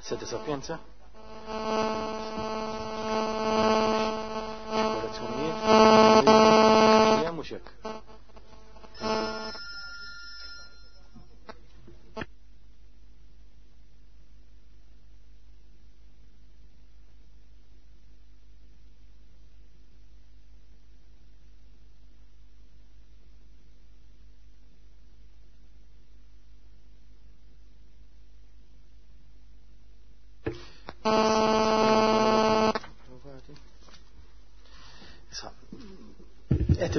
Sede Sapienza. Xi korrezzjonijiet? Mhux hekk.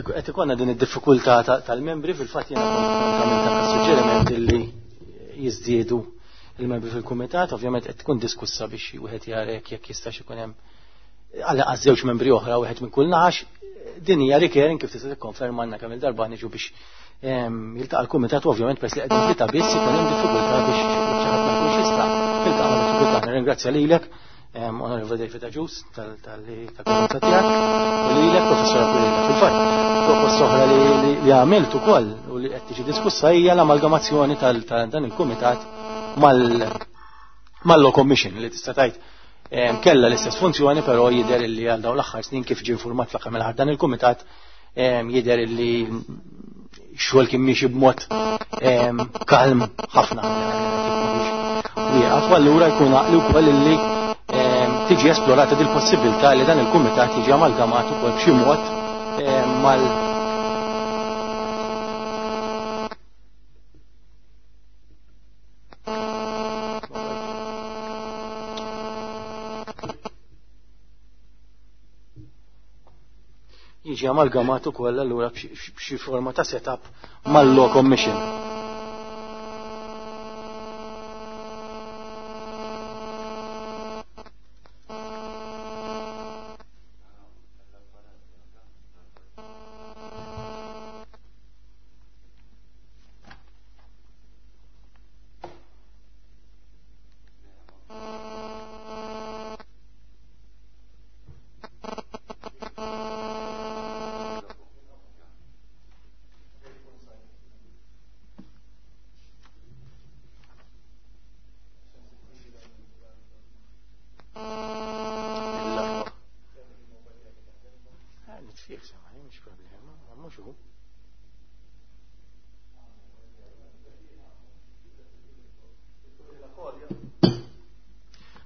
Qed ikollna din id-diffikultà tal-membri fil-fatt jiena kont għamilt anke suġġeriment illi jiżdiedu il-membri fil-kumitat, ovvjament qed tkun diskussa biex wieħed jara jekk jistax ikun hemm għal żewġ membri oħra wieħed minn kull naħax. Din hija recurring kif tista' tikkonferma għandna kemm il-darba niġu biex jiltaqa' l-kumitat u ovvjament peress li qegħdin tlieta biss ikun hemm diffikultà biex xi ħadd ma jkunx jista' jiltaqa' ma' diffikultà. Nirringrazzja lilek, Onorevoli David Agius, tal-li tal-preżenza tiegħek, u lilek Professor Aquilina. Fil-fatt, proposta oħra li għamilt ukoll u li qed tiġi diskussa hija l-amalgamazzjoni ta' dan il-kumitat mal-Law Commission li tista' tgħid kella l-istess funzjoni, però jidher li għal dawn l-aħħar snin kif ġie informat fl-aħħar mill-aħħar dan il-kumitat jidher li xogħol kien miexi b'mod kalm ħafna. Wieqaf, u allura jkun għaqli wkoll li tiġi esplorata dil possibilità li dan il-kumitat jiġi amalgamat ukoll b'xi mod mal jiġi amalgamat ukoll allura b'xi forma ta' setup mal-Law Commission.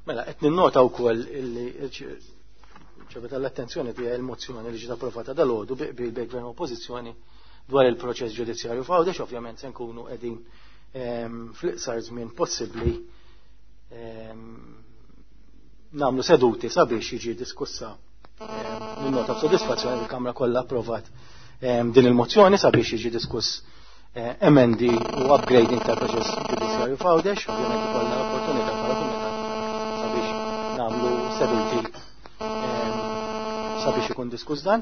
Mela, qed ninnota wkoll illi ċebet l-attenzjoni tiegħi il-mozzjoni li ġiet approvata dalgħodu bi qbil bejn gvern u oppożizzjoni dwar il-proċess ġudizzjarju f'Għawdex, ovvjament se nkunu qegħdin fl-iqsar żmien possibbli nagħmlu seduti sabiex jiġi diskussa. Ninnota b'sodisfazzjoni li l-Kamra kollha approvat din il-mozzjoni sabiex jiġi diskuss emendi u upgrading tal-proċess ġudizzjarju f'Għawdex. Ovvjament ikollna l-opportunità bħala kumitat sabiex nagħmlu seduti sabiex ikun diskuss dan.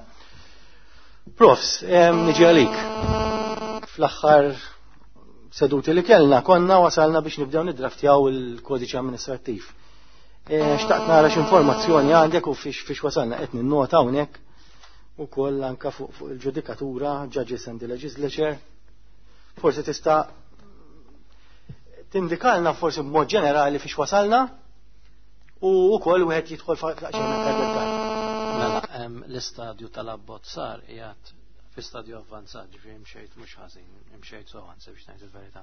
Profs, niġi għalik. Fl-aħħar seduti li kellna konna wasalna biex nibdew niddraftjaw il-kodiċi amministrattiv. Xtaqt nara x'informazzjoni għandek u fiex wasalna. Qed ninnota hawnhekk ukoll anka fuq il-ġudikatura, Judges and the Legislature. Forsi tista' tindikalna forsi b'mod ġenerali fiex wasalna u wkoll wieħed jidħol f'daqsxejn aktar dettall. Mela, l-istadju tal-abbozzar qiegħed fi stadju avvanzat, ġifieri mxejt mhux ħażin, mxejt sew anzi biex ngħid il-verità.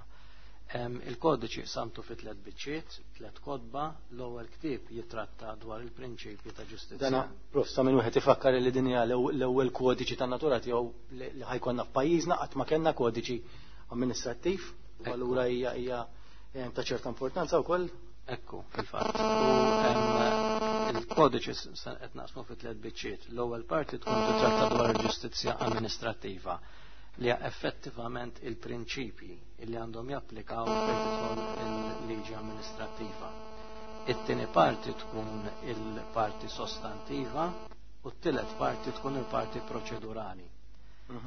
Il-kodiċi samtu fi tliet biċċiet, tliet kotba, l-ewwel ktieb jitratta dwar il-prinċipji ta' ġustizzja. Dana, prof, sa minn wieħed ifakkar li din hija l-ewwel kodiċi ta' natura tiegħu li ħajkonna f'pajjiżna, qatt ma kellna kodiċi amministrattiv, u allura hija ta' ċerta importanza wkoll. Ekku, fil-fatt. U il-kodiċi qed naqsmu fi tliet biċċiet. L-ewwel parti tkun titratta dwar il-ġustizzja amministrattiva, li hija effettivament il-prinċipji li għandhom japplikaw fejn tidħol il-liġi amministrattiva. It-tieni parti tkun il-parti sostantiva u t-tielet parti tkun il-parti proċedurali.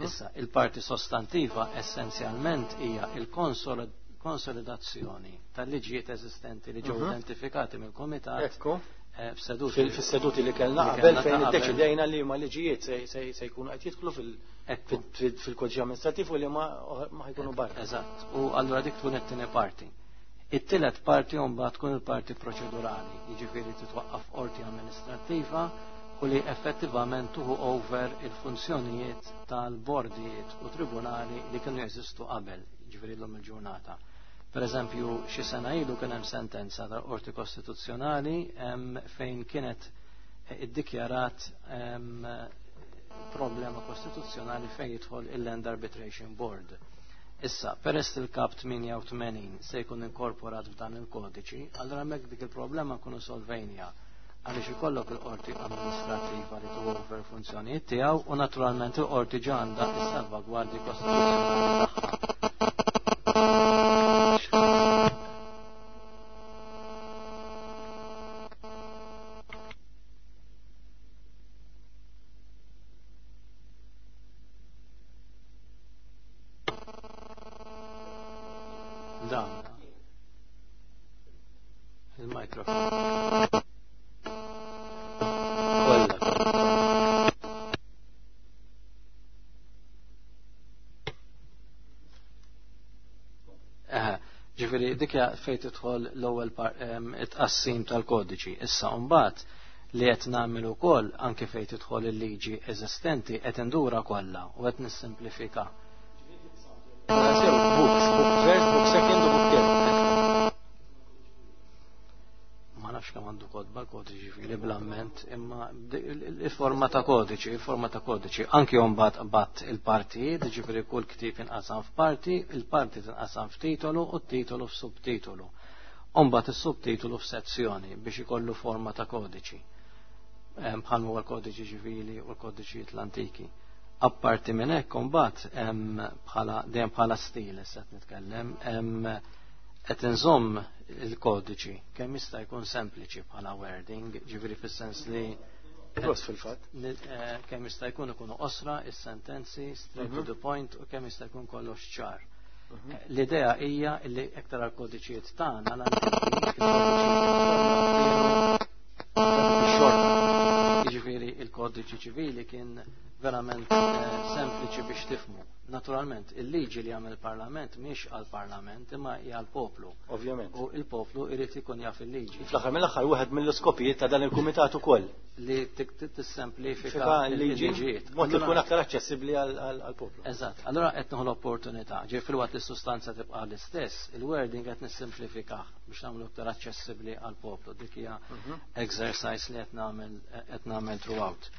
Issa, il-parti sostantiva essenzjalment hija il-konsolidazzjoni tal-liġijiet eżistenti li ġew identifikati mill-Kumitat. F'seduti Fis-seduti li kellna li qabel kellna fejn ta' qabel. iddeċidejna li ma liġijiet se jkunu qed jidħlu fil-kodiċi amministrattiv u li ma ħajkunu barra. Eżatt. U allura dik tkun it-tieni parti. It-tielet parti mbagħad tkun il-parti proċedurali, jiġifieri titwaqqaf qorti amministrattiva u li effettivament tuħu over il-funzjonijiet tal-bordijiet u tribunali li kienu jeżistu qabel, jiġifieri llum il-ġurnata. Per eżempju, xi sena ilu kien hemm sentenza tal-Qorti Kostituzzjonali fejn kienet iddikjarat problema kostituzzjonali fejn jidħol il-Land Arbitration Board. Issa, peress il-kap 88 se jkun inkorporat f'dan il-kodiċi, allora hemmhekk dik il-problema nkunu solvejnija għaliex ikollok il-qorti amministrativa li tuħu over funzjonijiet tiegħu u naturalment il-qorti ġa għandha s-salvagwardji kostituzzjonali tagħha. Dan. Il-mikrofon. Kollha. Ġifieri dik hija fejn tidħol l-ewwel it-tqassim tal-kodiċi. Issa mbagħad li qed nagħmel ukoll anke fejn tidħol il-liġi eżistenti qed indura kollha u qed nissimplifika. Sew, books, book first, book second u book third. Ma nafx kemm għandu kodba l-kodiċi ġifieri bl-amment, imma il-forma ta' kodiċi, il-forma ta' kodiċi. Anki mbagħad bat il-partijiet, ġifieri kull ktieb inqasam f'parti, il-parti tinqasam f'titolu u t-titolu f'subtitolu. Mbagħad is-subtitolu f'sezzjoni biex ikollu forma ta' kodiċi. Bħal huwa l-kodiċi ċivili u l-kodiċijiet l-antiki. Apparti minn hekk imbagħad bħala dejjem bħala stil issa qed nitkellem, qed inżomm il-kodiċi kemm jista' jkun sempliċi bħala wording, ġifieri fis-sens li Prost fil-fatt. Kemm jista' jkun ikunu qosra is-sentenzi, straight to the point u kemm jista' jkun kollox ċar. L-idea hija li iktar għal-kodiċijiet tagħna l-antiki, il-kodiċijiet xorta. Jiġifieri il-kodiċi ċivili kien verament sempliċi biex tifmu. Naturalment, il-liġi li għamel il-Parlament mhix għal-Parlament imma hija għal-poplu. Ovvjament. U il-poplu irid ikun jaf il-liġi. Fl-aħħar mill-aħħar wieħed mill-iskopijiet ta' dan il-kumitat ukoll. Li tissemplifika Fika l-liġi il-liġijiet. mod li tkun aktar aċċessibbli għall-poplu. Eżatt, allora qed nieħu l-opportunità, ġej filwaqt li s-sustanza tibqa' l-istess, il-wording qed nissimplifikah biex nagħmlu aktar aċċessibbli għall-poplu. Dik hija exercise li qed nagħmel throughout.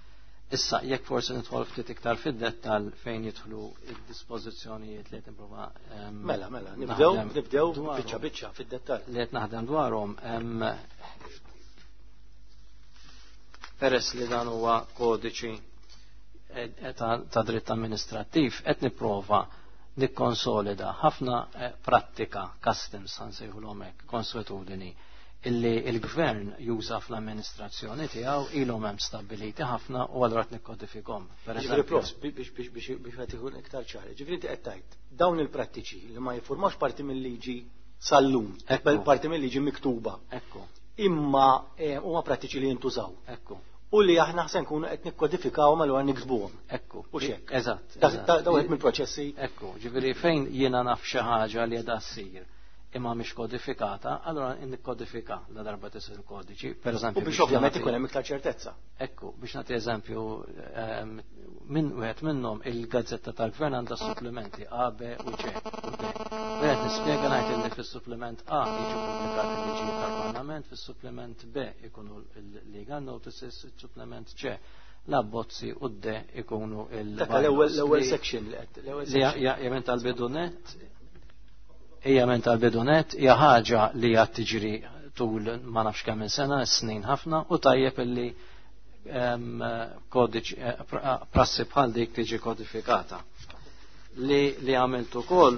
Issa, jekk forsi nidħol ftit iktar fid-dettall fejn jidħlu id-dispożizzjonijiet li qed nipprova Mela, mela, nibdew naħdem nibdew dwarhom. biċċa biċċa fid-dettall. Li qed naħdem dwarhom, peress li dan huwa kodiċi ta' dritt amministrattiv, qed nipprova nikkonsolida ħafna prattika, customs ħansejħulhom hekk, konsuetudini, illi il-gvern juża fl-amministrazzjoni tiegħu ilhom hemm stabbiliti ħafna u allura qed nikkodifikhom. Per Ġifieri eżempju, prof, biex qed ikun iktar ċari. Ġifieri inti qed tgħid dawn il-prattiċi li ma jiffurmawx parti mill-liġi sal-lum, parti mill-liġi miktuba. Imma huma prattiċi li jintużaw. U li aħna se nkunu qed nikkodifikawhom allura niksbuhom. U x'hekk. Da wieħed mill-proċessi. Ekku, ġifieri fejn jiena naf xi ħaġa li qiegħda ssir imma mhix kodifikata, allura nikkodifika la darba tisir il-kodiċi. Per eżempju, U biex biex ovvjament nagħti ikun hemm iktar ċertezza. Ekku, biex nagħti eżempju, minn wieħed minnhom il-gazzetta tal-gvern għandha supplementi A, B u C u D. Wieħed nispjega ngħid li fis-supplement A jiġu pubblikati l-liġijiet tal-Parlament, fis-supplement B ikunu l-legal notices, il-supplement C l-abbozzi u D ikunu il- Dak l-ewwel section li qed, l-ewwel Li section. hija minn tal-bidunet, hija minn tal-bidunet, hija ħaġa li qed tiġri tul ma nafx kemm minn sena, snin ħafna, u tajjeb illi kodiċi prassi bħal dik tiġi kodifikata. Li għamilt ukoll,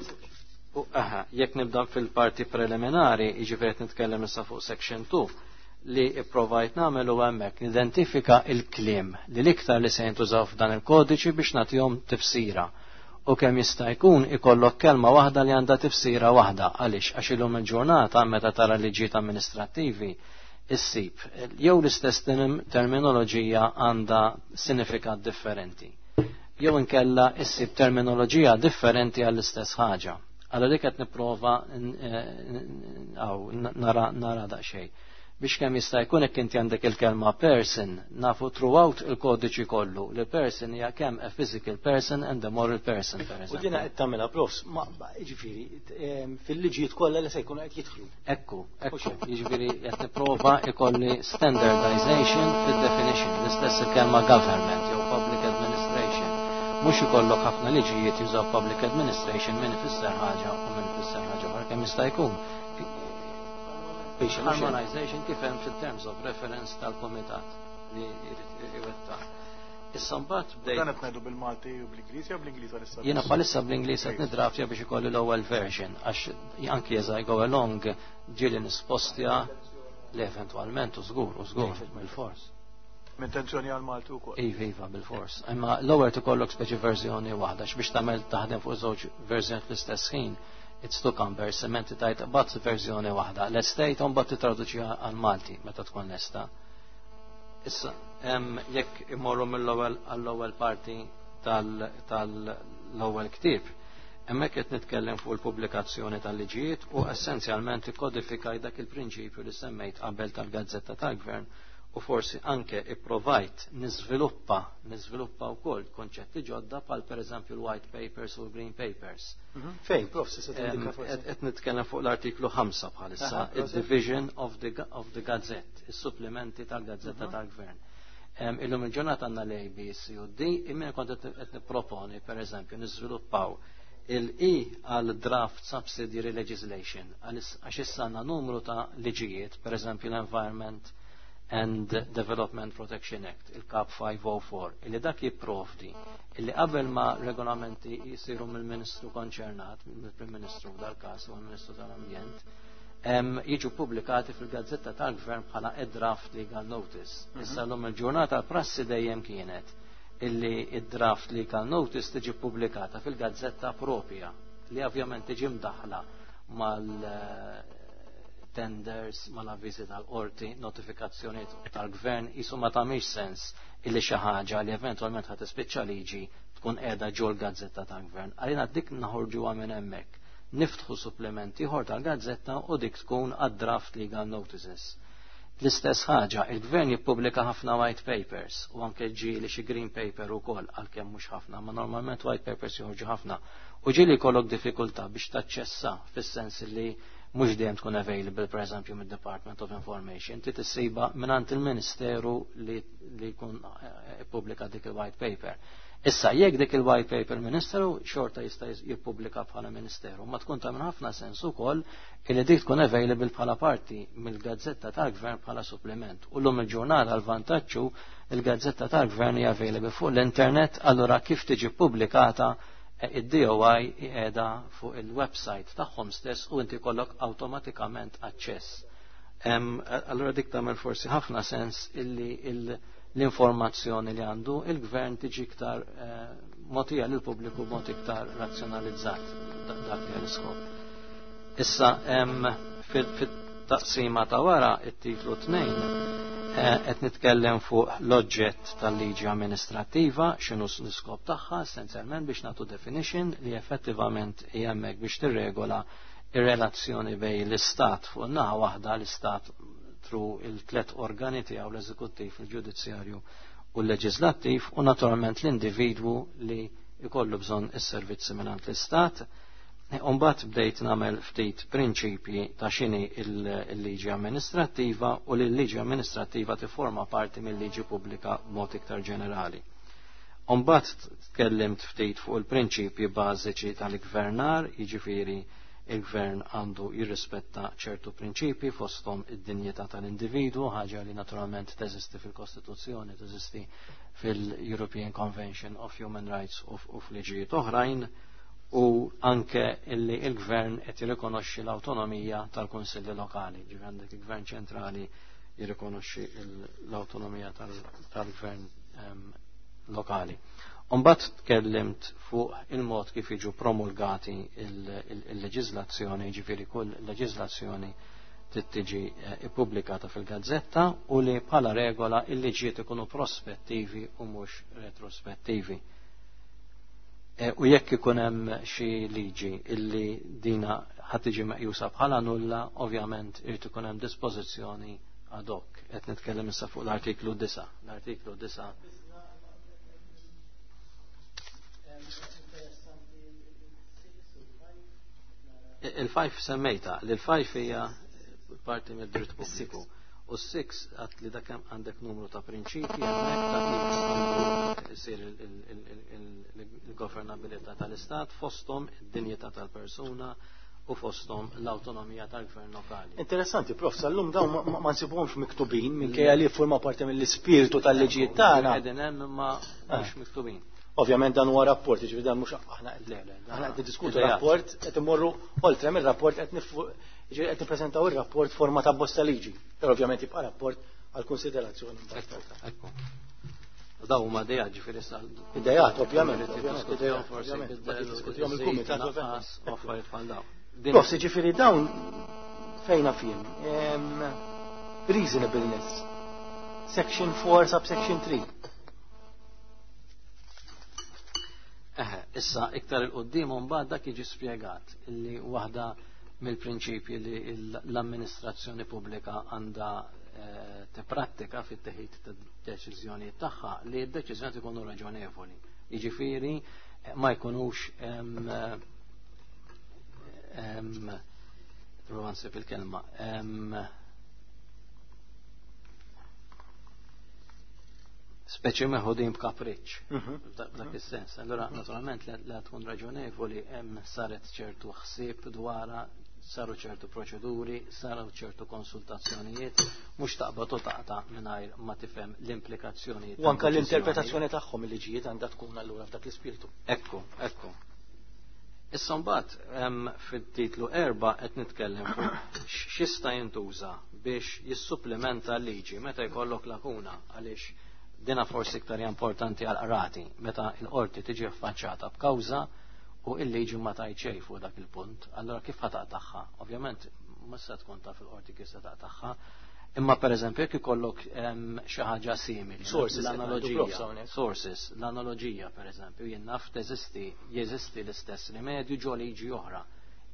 u, aha, jekk nibda fil-parti preliminari, jiġifieri qed nitkellem issa fuq section 2, li ipprovajt nagħmel u hemmhekk nidentifika il-kliem li l-iktar li se jintużaw f'dan il-kodiċi biex nagħtihom tifsira. U kemm jista' jkun ikollok kelma waħda li għandha tifsira waħda, għaliex għax illum il-ġurnata meta tara liġijiet amministrattivi issib jew l-istess terminoloġija għandha sinifikat differenti. Jew inkella issib terminoloġija differenti għall-istess ħaġa. Allura dik qed nipprova nara daqsxejn. Biex kemm jista' jkun hekk inti għandek il-kelma person, nafu throughout il-kodiċi kollu li person hija kemm a physical person and a moral person, per U eżempju. dina qed tagħmilha, profs, ma jiġifieri fil-liġijiet kollha li se jkunu qed jidħlu. Ekku, jiġifieri qed nipprova ikolli standardization fid-definition, l-istess il-kelma government jew public administration. Mhux ikollok ħafna liġijiet jużaw public administration, min ifisser ħaġa u min ifisser ħaġa oħra kemm jista' jkun. Harmonization kif hemm fil-terms of reference tal-komitat li jrid iwettaq. Issa mbagħad bdejt Dan qed ngħidu bil-Malti u bl-Ingliż jew bl-Ingliż għalissa? Jiena bħalissa bl-Ingliż qed nidraftja biex ikolli l-ewwel version, għax anki as I go along ġieli nispostja li eventwalment u żgur bil-fors. M'intenzjoni għal-Malti wkoll. Iva, bil-fors. Imma l-ewwel tikollok speċi verżjoni waħda, biex tagħmel taħdem fuq żewġ verżjoni fl-istess ħin. It's too cumbersome, inti tajt bat verżjoni waħda. L-estate mbagħad titraduċiha għal Malti meta tkun lesta. Issa, jekk immorru mill-ewwel għall-ewwel parti tal-ewwel ktieb, hemmhekk qed nitkellem fuq il-pubblikazzjoni tal-liġijiet u essenzjalment ikkodifikaj dak il-prinċipju li semmejt qabel tal-Gazzetta tal-Gvern u forsi anke ipprovajt niżviluppa wkoll konċetti ġodda bħal pereżempju l-white papers u l-green papers. Fejn, prof, se tindika forsi. Qed nitkellem fuq l-artiklu 5 bħalissa, il-division of the Gazette, is-supplementi tal-Gazzetta tal-Gvern. Illum il-ġurnata għandna l-A, B, C u D, imma kont qed nipproponi pereżempju niżviluppaw il-E għal draft subsidiary legislation, għax issa għandna numru ta' liġijiet, pereżempju l-Environment and Development Protection Act, il-Kap 504, illi dak jipprovdi illi qabel ma regolamenti jisiru mill-Ministru konċernat, mill-Prim Ministru dal-każ u l-Ministru tal-Ambjent, jiġu pubblikati fil-Gazzetta tal-Gvern bħala a draft legal notice. Issa l-lum il-ġurnata prassi dejjem kienet illi id-draft legal notice tiġi pubblikata fil-gazzetta propja li ovvjament tiġi mdaħla mal tenders, mal-avviżi tal-qorti, notifikazzjoni tal-gvern, jisu ma tagħmilx sens illi xi ħaġa li eventwalment ħa tispiċċa liġi tkun qiegħda ġol gazzetta tal-gvern. Għalina dik naħorġuha minn hemmhekk. Niftħu supplementi ieħor tal-gazzetta u dik tkun għad-draft legal notices. L-istess ħaġa, il-gvern jippubblika ħafna white papers u anke ġieli xi green paper ukoll, għalkemm mhux ħafna, ma normalment white papers joħorġu ħafna. U ġieli jkollok diffikultà biex taċċessa, fis-sens li mhux dejjem tkun available pereżempju mid-Department of Information, inti tissiba mingħand il-Ministeru li jkun ippubblika dik il-white paper. Issa jekk dik il-white paper ministeru xorta jista' jippubblika bħala ministeru, ma tkun tagħmel ħafna sens ukoll illi dik tkun available bħala parti mill-gazzetta tal-gvern bħala supplement. U llum il-ġurnata l-vantaġġu il-gazzetta tal-gvern hija available fuq l-internet, allura kif tiġi pubblikata id-DOI qiegħda fuq il-website tagħhom stess u inti kollok awtomatikament aċċess. Allura dik tagħmel forsi ħafna sens illi l-informazzjoni li għandu il-gvern tiġi iktar mogħtija lil pubbliku b'mod iktar razzjonalizzat, dak li l-iskop. Issa fit-taqsima ta' wara, it-titlu 2, qed nitkellem fuq l-oġġett tal-liġi amministrattiva, x'inhu l-iskop tagħha, essenzjalment biex nagħtu definition li effettivament hija hemmhekk biex tirregola ir-relazzjoni bejn l-istat fuq naħa waħda, l-istat through il-tlet organi tiegħu, l-eżekuttiv, il-ġudizzjarju u l-leġislattiv, u naturalment l-individwu li jkollu bżonn is-servizzi mingħand l-istat. Umbat bdejt nagħmel ftit prinċipji ta' x'inhi il-liġi amministrattiva u li l-liġi amministrattiva tiforma parti mill-liġi pubblika b'mod iktar ġenerali. Umbat tkellimt ftit fuq il-prinċipji bażiċi tal-gvernar, jiġifieri il-gvern għandu jirrispetta ċertu prinċipji, fosthom id-dinjità tal-individwu, ħaġa li naturalment teżisti fil-Kostituzzjoni, teżisti fil-European Convention of Human Rights u f'liġijiet oħrajn, u anke illi il-gvern qed jirrikonoxxi l-awtonomija tal-kunsilli lokali, ġifieri għandek il-gvern ċentrali jirrikonoxxi l-awtonomija tal-gvern lokali. Umbat tkellimt fuq il-mod kif jiġu promulgati il-leġizlazzjoni, ġifieri kull leġizlazzjoni tiġi ippubblikata fil-gazzetta u li bħala regola il-liġijiet ikunu prospettivi u mhux retrospettivi. U jekk ikun hemm xi liġi illi dina ħadd tiġi meqjusa bħala nulla, ovvjament irid ikun hemm dispożizzjoni ad hoc. Qed nitkellem issa fuq l-artiklu 9. L-artiklu 9 Il-5 semmejta, li l-5 hija parti mid-dritt pubbliku. U s-6 għat li dak għandek numru ta' prinċipji hemmhekk ta' kif isir il-governabilità tal-Istat fosthom id-dinjità tal-persuna u fosthom l-awtonomija tal-gvern lokali. Interessanti, prof, sal-lum dawn ma nsibuhomx miktubin minkejja li jiffurma parti mill-ispirtu tal-liġijiet tagħna. Qegħdin hemm imma mhux miktubin. Ovvjament dan huwa rapport, jiġifieri dan mhux aħna aħna qed niddiskutu rapport, qed immorru oltre mir-rapport qed qed nippreżentaw ir-rapport forma ta' bosta liġi. Però ovvjament jibqa' rapport għal konsiderazzjoni. Ekku. Daw huma idejat ġifieri sa. Idejat, ovvjament, forsi diskutihom il-kumitat u affarijiet bħal dawn. Prof, ġifieri dawn fejna fihom. Reasonableness. Section 4, subsection 3. Eħe, issa iktar il-qoddim mbagħad dak jiġi spjegat illi waħda mill-prinċipji li l-amministrazzjoni pubblika għandha tipprattika fit-teħid ta' deċiżjonijiet tagħha li d-deċiżjonijiet ikunu raġonevoli. Jiġifieri ma jkunux prova nsib il-kelma. Speċi meħudin b'kapriċċ, f'dak is-sens. Allura naturalment li tkun raġonevoli hemm saret ċertu ħsieb dwarha, saru ċertu proċeduri, saru ċertu konsultazzjonijiet, mhux taqbad u taqta' mingħajr ma tifhem l-implikazzjonijiet. U anke l-interpretazzjoni tagħhom il-liġijiet għandha tkun allura f'dak l-ispirtu. Ekku, ekku. Issa mbagħad fit-titlu 4 qed nitkellem fuq x'jista' jintuża biex jissupplementa l-liġi meta jkollok lakuna, għaliex dina forsi iktar importanti għal qrati meta l-qorti tiġi affaċċata b'kawża u il-liġi ma tajt xejn fuq dak il-punt, allura kif ħa taqtagħha? Ovvjament ma se tkun taf il-qorti kif se taqtagħha, imma pereżempju jekk ikollok xi ħaġa simili, Sources, l-analoġija, sources, l-analoġija pereżempju, jien naf teżisti, jeżisti l-istess rimedju ġo liġi oħra,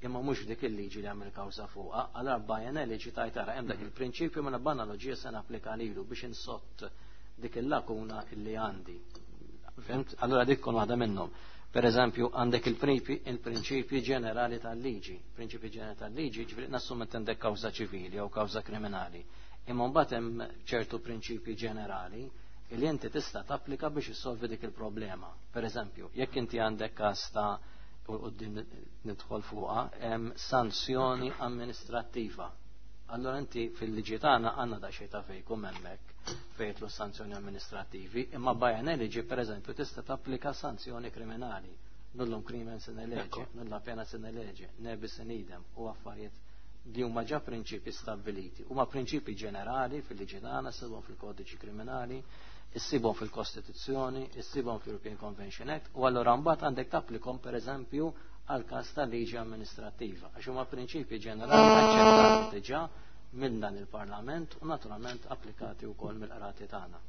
imma mhux dik il-liġi li għamil kawża fuqha, allura by analogy tajt tara hemm dak il-prinċipju mela b'analoġija se napplika lilu biex insott dik il-lakuna illi għandi. Fimt? Allura dik tkun waħda minnhom. Per eżempju, għandek il-prinċipji ġenerali tal-liġi. Prinċipji ġenerali tal-liġi, ġifieri nassum qed għandek kawża ċivili jew kawża kriminali. Imma mbagħad hemm ċertu prinċipji ġenerali li inti tista' tapplika biex issolvi dik il-problema. Per eżempju, jekk inti għandek każ ta' u quddiem nidħol fuqha, hemm sanzjoni amministrattiva. Allora inti fil-liġi tagħna għandna daqsxejn ta' fejkum hemmhekk fejn jidħlu sanzjoni amministrativi, imma by analogy pereżempju tista' tapplika sanzjoni kriminali. Nullum crimen sine lege, nulla pena sine lege, ne bis in idem, u affarijiet li huma ġa prinċipi stabbiliti. Huma prinċipi ġenerali fil-liġi tagħna, ssibhom fil-kodiċi kriminali, issibhom fil-Kostituzzjoni, issibhom fil-European Convention Act, u allura mbagħad għandek tapplikom pereżempju għal każ tal-liġi amministrattiva, għax huma prinċipi ġenerali aċċettati diġà minn dan il-Parlament u naturalment applikati wkoll mill-qrati tagħna.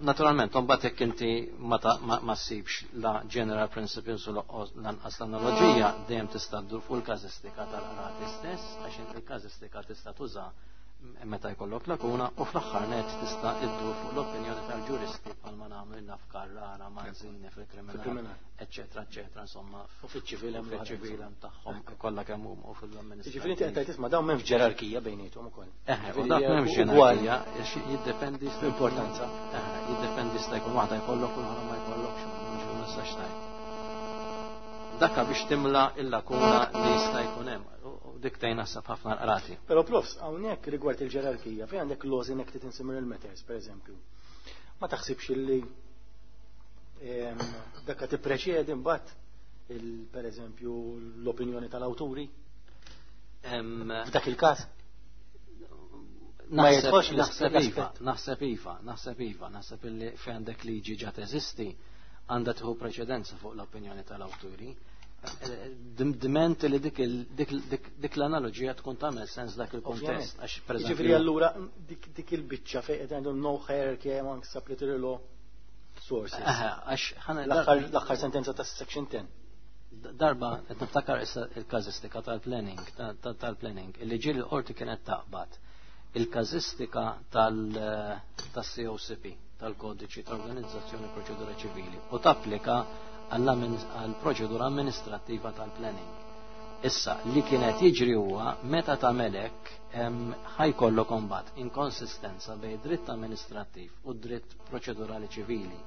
Naturalment, mbagħad jekk inti ma ssibx la general principles u lanqas l-analoġija, dejjem tista' ddur fuq il-każistika tal-qrati stess, għax inti il-każistika tista' tuża meta jkollok lakuna, u fl-aħħar net tista' iddur fuq l-opinjoni tal-ġuristi bħalma nagħmlu naf Carrara, Manzini fil-kriminal, eċċetera, eċċetera, insomma, U fiċ-ċivil hemm u fiċ-ċivil hemm tagħhom kollha kemm huma u fil-amministrazzjoni. Jiġifieri inti qed tgħid isma' dawn m'hemmx ġerarkija bejniethom ukoll. Eħe, u dak m'hemmx ġerarkija, għax jiddependi l-importanza. Eħe, jiddependi sta jkun waħda jkollok u l-oħra ma jkollokx, ma nistax tgħid. Dakka biex timla il-lakuna li jista' jkun hemm. U dik tgħin naħseb ħafna l-qrati. Però profs, hawnhekk rigward il-ġerarkija, fejn għandek laws enacted in similar matters, per eżempju. Ma taħsibx illi dakka tippreċedi mbagħad per eżempju l-opinjoni tal-awturi? F'dak il-każ? Ma jidħolx l-aspett. Naħseb iva, naħseb iva, naħseb illi fejn għandek liġi ġa teżisti għandha tieħu preċedenza fuq l-opinjoni tal-awturi. Diment li dik l-analoġija tkun tagħmel sens dak il-kuntest. Ovvjament. Għax, per eżempju, Jiġifieri allura dik il-biċċa fejn qed għandhom no hierarchy among supplementary law. sources. Għax L-aħħar sentenza ta' section 10. Darba qed niftakar issa il-każistika tal-planning illi ġieli l-qorti kienet taqbad il-każistika tal-COCP, tal-Kodiċi ta' Organizzazzjoni Proċedura Ċivili, u tapplika għall-proċedura amministrattiva tal-planning. Issa, li kienet jiġri huwa meta tagħmel hekk ħa jkollok imbagħad inkonsistenza bejn dritt amministrattiv u dritt proċedurali ċivili.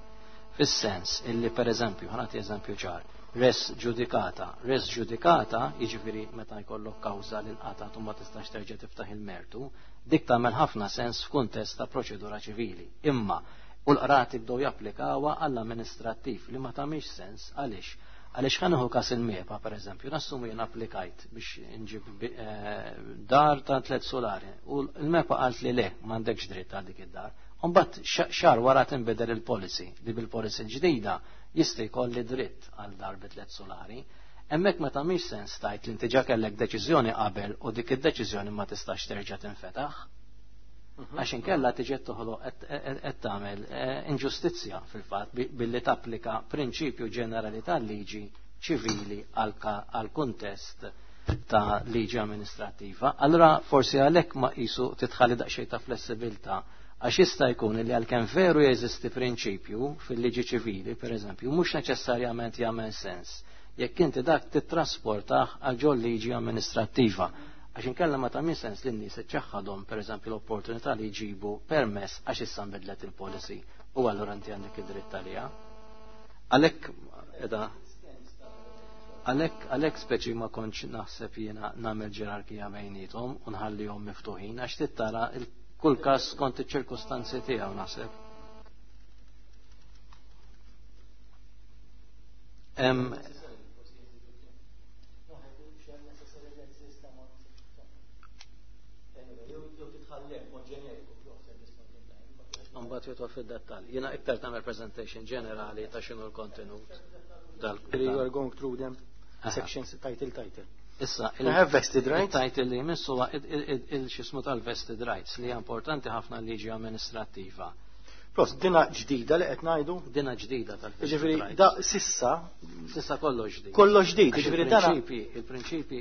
Fis-sens illi, per eżempju, ħa nagħti eżempju ċar, res ġudikata. Res ġudikata, jiġifieri meta jkollok kawża li nqatat u ma tistax terġa' tiftaħ il-mertu, dik tagħmel ħafna sens f'kuntest ta' proċedura ċivili. Imma u l-qrati bdew japplikawha għall-amministrattiv, li ma tagħmilx sens. Għaliex? Għaliex ħa nieħu każ il-MEPA, per eżempju, nassumu jien applikajt biex nġib dar ta' 3 solari u l-MEPA qalt li le, m'għandekx dritt għal dik id-dar. Mbagħad xahar wara tinbidel il-policy, li bil-policy ġdida jista' jkolli dritt għal dar bi 3 solari. Hemmhekk ma tagħmilx sens tajt li inti ġa kellek deċiżjoni qabel u dik id-deċiżjoni ma tistax terġa' tinfetaħ. Għax inkella tiġi toħloq qed tagħmel inġustizzja fil-fatt billi tapplika prinċipju ġenerali tal-liġi ċivili għal kuntest ta' liġi amministrattiva. Allura forsi għalhekk ma qisu titħalli daqsxejn ta' flessibilità, għax jista' jkun li għalkemm veru jeżisti prinċipju fil-liġi ċivili, per eżempju, mhux neċessarjament jagħmel sens jekk inti dak titrasportah għal ġol liġi amministrattiva. Għax inkella ma tagħmel sens li n-nies iċċaħħadhom pereżempju l-opportunità li jġibu permess għax issa nbidlet il-policy u allura inti għandek id-dritt għaliha. Għalhekk qiegħda għalhekk speċi ma kontx naħseb jiena nagħmel ġerarkija bejniethom u nħallihom miftuħin, għax tittara kull każ skont iċ-ċirkustanzi tiegħu naħseb. Mbagħad jidħol fid-dettall. Jiena iktar tagħmel presentation ġenerali ta' x'inhu l-kontenut. You are going through them sections, title, title. Issa, I have vested rights. Il-title li jmiss huwa il-xismu tal-vested rights, li hija importanti ħafna liġi amministrattiva. Pros, dina ġdida li qed ngħidu? Dina ġdida tal-vested Jiġifieri, rights. da sissa Sissa kollox ġdid. Kollox ġdid, Għax jiġifieri dana il-prinċipi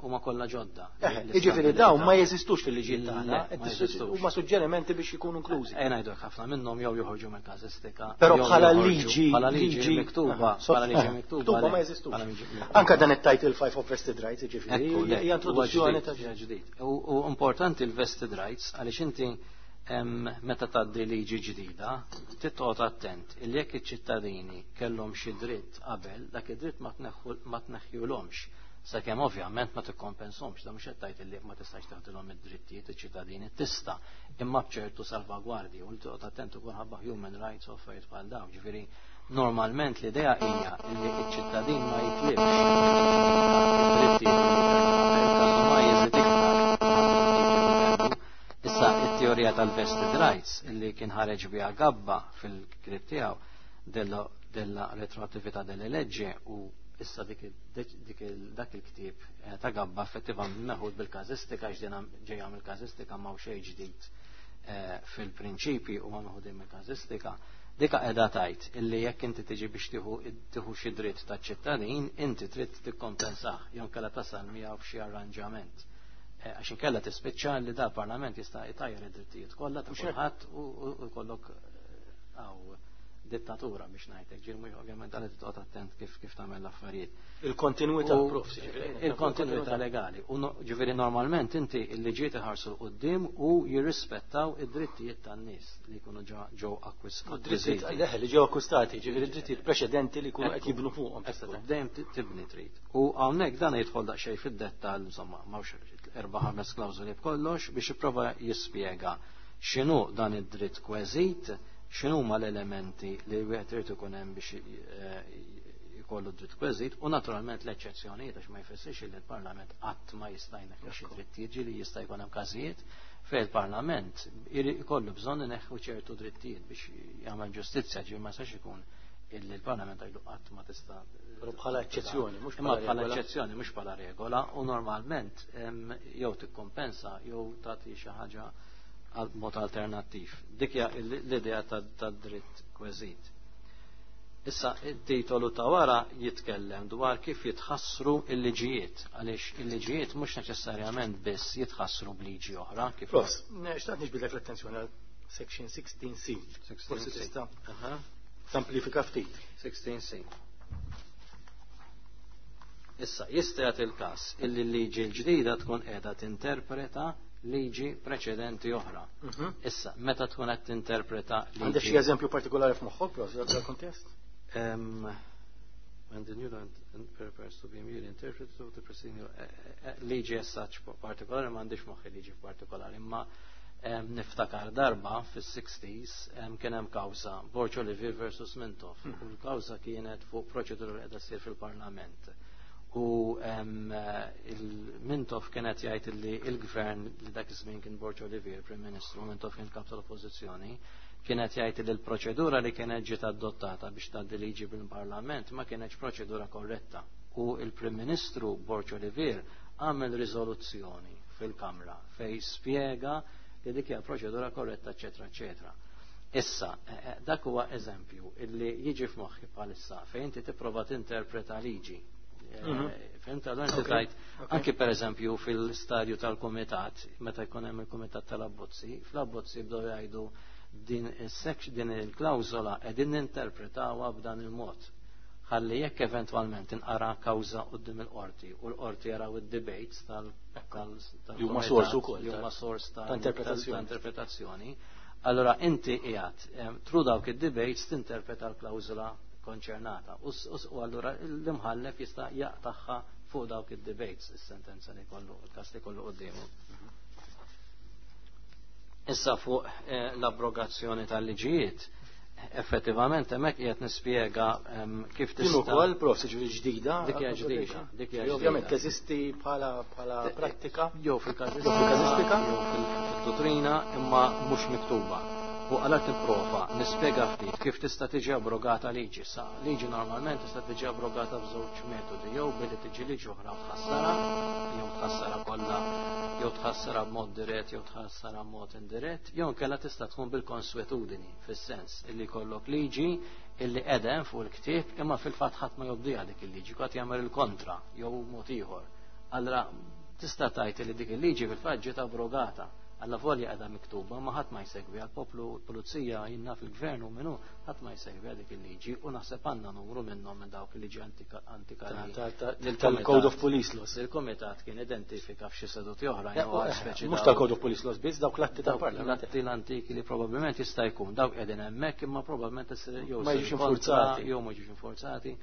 huma kollha ġodda. Jiġifieri dawn ma jeżistux fil-liġijiet Le, tagħna, ma qed jeżistux. huma suġġerimenti biex ikunu inklużi. Ngħidu ħafna minnhom jew joħorġu mill-każistika. Però jew bħala joħorġu liġi, bħala liġi liġi miktuba, bħala liġi miktuba, miktuba le, ma jeżistux. bħala liġi miktuba. Anka dan it-title 5 of vested rights, jiġifieri, Ekku, le, hija introduzzjoni huwa ta' ġdid, ġdid. U importanti l-vested rights għaliex inti meta tgħaddi liġi ġdida, titqgħod attent illi jekk iċ-ċittadini kellhom xi dritt qabel, dak id-dritt ma tneħħulhomx, sakemm ovvjament ma tikkompensahomx. Da mhux qed tgħid illi ma tistax taħdilhom id-drittijiet iċ-ċittadini, tista', imma b'ċertu salvagwardji, u toqgħod attent ukoll ħabba human rights u affarijiet bħal dawn. Ġifieri normalment l-idea hija illi ċ-ċittadin ma jitlibx id-drittijiet li ma jeżid iktar. Issa it-teorija tal-vested rights illi kien ħareġ biha Gabba fil-krib tiegħu della retroattività delle leggi, u issa dak il-ktieb ta' Gabba effettivament meħud bil-każistika, għax din ġejja mill-każistika, ma xejn ġdid fil-prinċipi u ma meħudin mill-każistika. Dika qiegħda tgħid illi jekk inti tiġi biex tieħu xi dritt taċ-ċittadin, inti trid tikkompensah jew inkella tasal miegħu f'xi arranġament. Għax inkella tispiċċa li da parlament jista' jtajjar id-drittijiet kollha ta' Mhux hekk. kulħadd u jkollok għaw dittatura biex ngħidlek. Ġieli mhux ovvjament dan toqgħod attent kif tagħmel l-affarijiet. Il-kontinuità, U prof, ġifieri. il-kontinuità legali. U ġifieri normalment inti l-liġijiet iħarsu 'l quddiem u jirrispettaw id-drittijiet tan-nies li jkunu ġew U drittijiet, akkwistati. leħ, li ġew akkwistati, ġifieri drittijiet preċedenti li jkunu qed jibnu fuqhom. Ekku, dejjem tibni trid. U hawnhekk dan jidħol daqsxejn fid-dettall, insomma, m'hawnx 4-5 klawżoli b'kollox biex jipprova jispjega x'inhu dan id-dritt kweżit, x'inhu huma l-elementi li wieħed irid ikun hemm biex jkollu dritt kweżit, u naturalment l-eċċezzjonijiet, għax ma jfissirx li l-Parlament qatt ma jista' jneħħi xi drittijiet, ġieli jista' jkun hemm każijiet fejn il-Parlament ikollu bżonn ineħħu ċertu drittijiet biex jagħmel ġustizzja, ġieli ma jistax ikun illi l-Parlament għajdu qatt ma tista' Però bħala eċċezzjoni, mhux Imma bħala bħala regola. eċċezzjoni, mhux bħala regola, u normalment jew tikkompensa jew tagħti xi ħaġa għal mod alternattiv. Dik hija l-idea tad-dritt kweżit. Issa, it-titolu ta' wara jitkellem dwar kif jitħassru il-liġijiet, għaliex il-liġijiet mhux neċessarjament biss jitħassru b'liġi oħra. Kif Prof, xtaqt niġbidlek l-attenzjoni għal section 16C. Forsi tista' tamplifika ftit. 16C. Issa, jista' jagħti il-każ illi l-liġi l-ġdida tkun qiegħda tinterpreta liġi preċedenti oħra. Issa, meta tkun qed tinterpreta liġi. Għandek xi eżempju partikolari f'moħħok, Prof, dal-kontest? When the new law prepares to be immediately interpreted of the preceding liġi as such partikolari m'għandix moħħi liġi partikolari, imma niftakar darba fis-60s kien hemm kawża Borg Olivier versus Mintoff. U l-kawża kienet fuq proċedura li qiegħda ssir fil-Parlament. U il-Mintoff kienet jgħid li il-gvern li dak iż-żmien kien Borg Olivier, Prim Ministru, Mintoff kien kap tal-Oppożizzjoni, kienet jgħid li l-proċedura li kienet ġiet adottata biex tgħaddi liġi bil-Parlament ma kienx proċedura korretta. U il-Prim Ministru Borg Olivier għamel riżoluzzjoni fil-Kamra fej spjega li dik hija proċedura korretta, eċetera, eċetera. Issa, dak huwa eżempju illi jiġi f'moħħi bħalissa fejn inti tipprova tinterpreta liġi. Fhimt, allora inti tajt, anki per eżempju fil-stadju tal-komitat, meta jkun hemm il-komitat tal-abbozzi, fl-abbozzi bdew jgħidu din din il-klawżola qegħdin ninterpretawha b'dan il-mod. Ħalli jekk eventwalment inqara kawża quddiem il-qorti u l-qorti jaraw id-debates tal Li huma sors ukoll li huma sors ta' interpretazzjoni. ta' interpretazzjoni. Allora inti qiegħed through dawk id-debates tinterpreta l-klawżola konċernata. U allura l-imħallef jista' jaqtagħha fuq dawk id-debates is-sentenza li kollu, il-każ li kollu quddiemu. Issa fuq l-abrogazzjoni tal-liġijiet, effettivament hemmhekk qiegħed nispjega kif Din tista' ukoll, Prof, ġifieri ġdida. Dik hija ġdida, dik hija Ovvjament ġdida. teżisti bħala prattika. Jew fil-każistika, Jew fil-każistika. jew fil-dottrina, imma mhux miktuba. U għala tipprova nispjega ftit kif tista' tiġi abrogata liġi. Sa liġi normalment tista' tiġi abrogata b'żewġ metodi, jew billi tiġi liġi oħra u tħassara, jew tħassara kollha, jew tħassara b'mod dirett, jew tħassara b'mod indirett, jew inkella tista' tkun bil-konswetudini, fis-sens illi jkollok liġi illi qegħda fuq il-ktieb imma fil-fatt ħadd ma jobdiha dik il-liġi, kwatt jagħmel il-kontra jew mod ieħor. Allora tista' tgħid li dik il-liġi fil-fatt ġiet abrogata. Alla volja qiegħda miktuba, ma ħadd ma jsegwi għall-poplu, l-pulizija, jinna fil-gvern u minnu, ħadd ma jsegwi għal dik il-liġi u naħseb għandna numru minnhom minn dawk il-liġi antika li Tal-Code of Police Laws. Il-Komitat kien identifika f'xi seduti oħra, jew għal speċi Mhux dawk tal-Code of Police Laws biss, dawk l-atti dawk tal-Parlament. l-atti l-antiki li probabbilment jista' jkun dawk qegħdin hemmhekk imma probabbilment issir jew Ma issir jiġux kontra, infurzati. jew ma jiġux infurzati.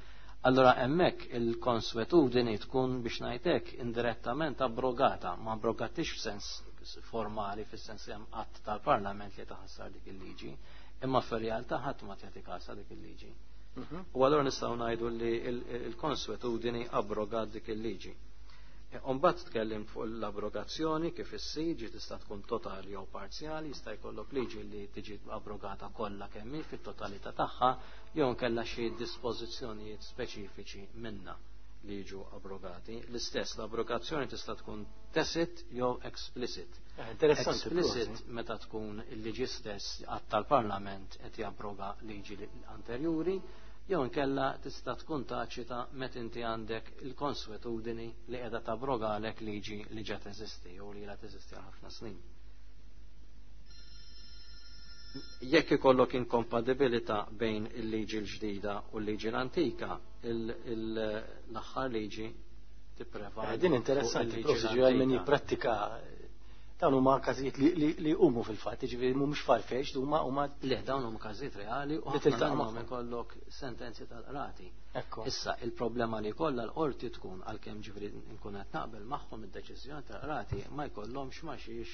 Allora hemmhekk il-konswetudini tkun biex ngħidlek indirettament abrogata, ma abrogatix f'sens formali, fis-sens li hemm att tal-Parlament li taħassar dik il-liġi, imma fir-realtà ħadd ma tagħti każ dik il-liġi. U allura nistgħu ngħidu li il-konswetudini abrogat dik il-liġi. Umbagħad tkellim fuq l-abrogazzjoni kif issir, ġi tista' tkun totali jew parzjali, jista' jkollok liġi li tiġi abrogata kollha kemm hi fit-totalità tagħha, jew inkella xi dispożizzjonijiet speċifiċi minnha li jiġu abrogati. L-istess l-abrogazzjoni tista' tkun tacit jew explicit. Interessanti. Explicit meta tkun il-liġi stess att tal-Parlament qed jabroga liġi anterjuri, jew inkella tista' tkun taċita meta inti għandek il-konswetudini li qiegħda tabrogalek liġi li ġa teżisti jew li ilha teżisti għal ħafna snin. Jekk ikollok inkompatibilità bejn il-liġi l-ġdida u l-liġi l-antika, l-aħħar liġi tipprevali. Din interessanti, fuq il-liġi Prof, ġifieri għal min l-antika. jipprattika dawn huma każijiet li huma fil-fatt, jiġifieri mhumiex farfetched, huma Le, dawn huma każijiet reali u Li ħafna tiltaqa' minnhom magħhom. ikollok sentenzi tal-qrati. Ekku. Issa il-problema li kollha l-qorti tkun għalkemm ġifieri nkun qed naqbel magħhom id-deċiżjoni tal-qrati ma jkollhomx ma xiex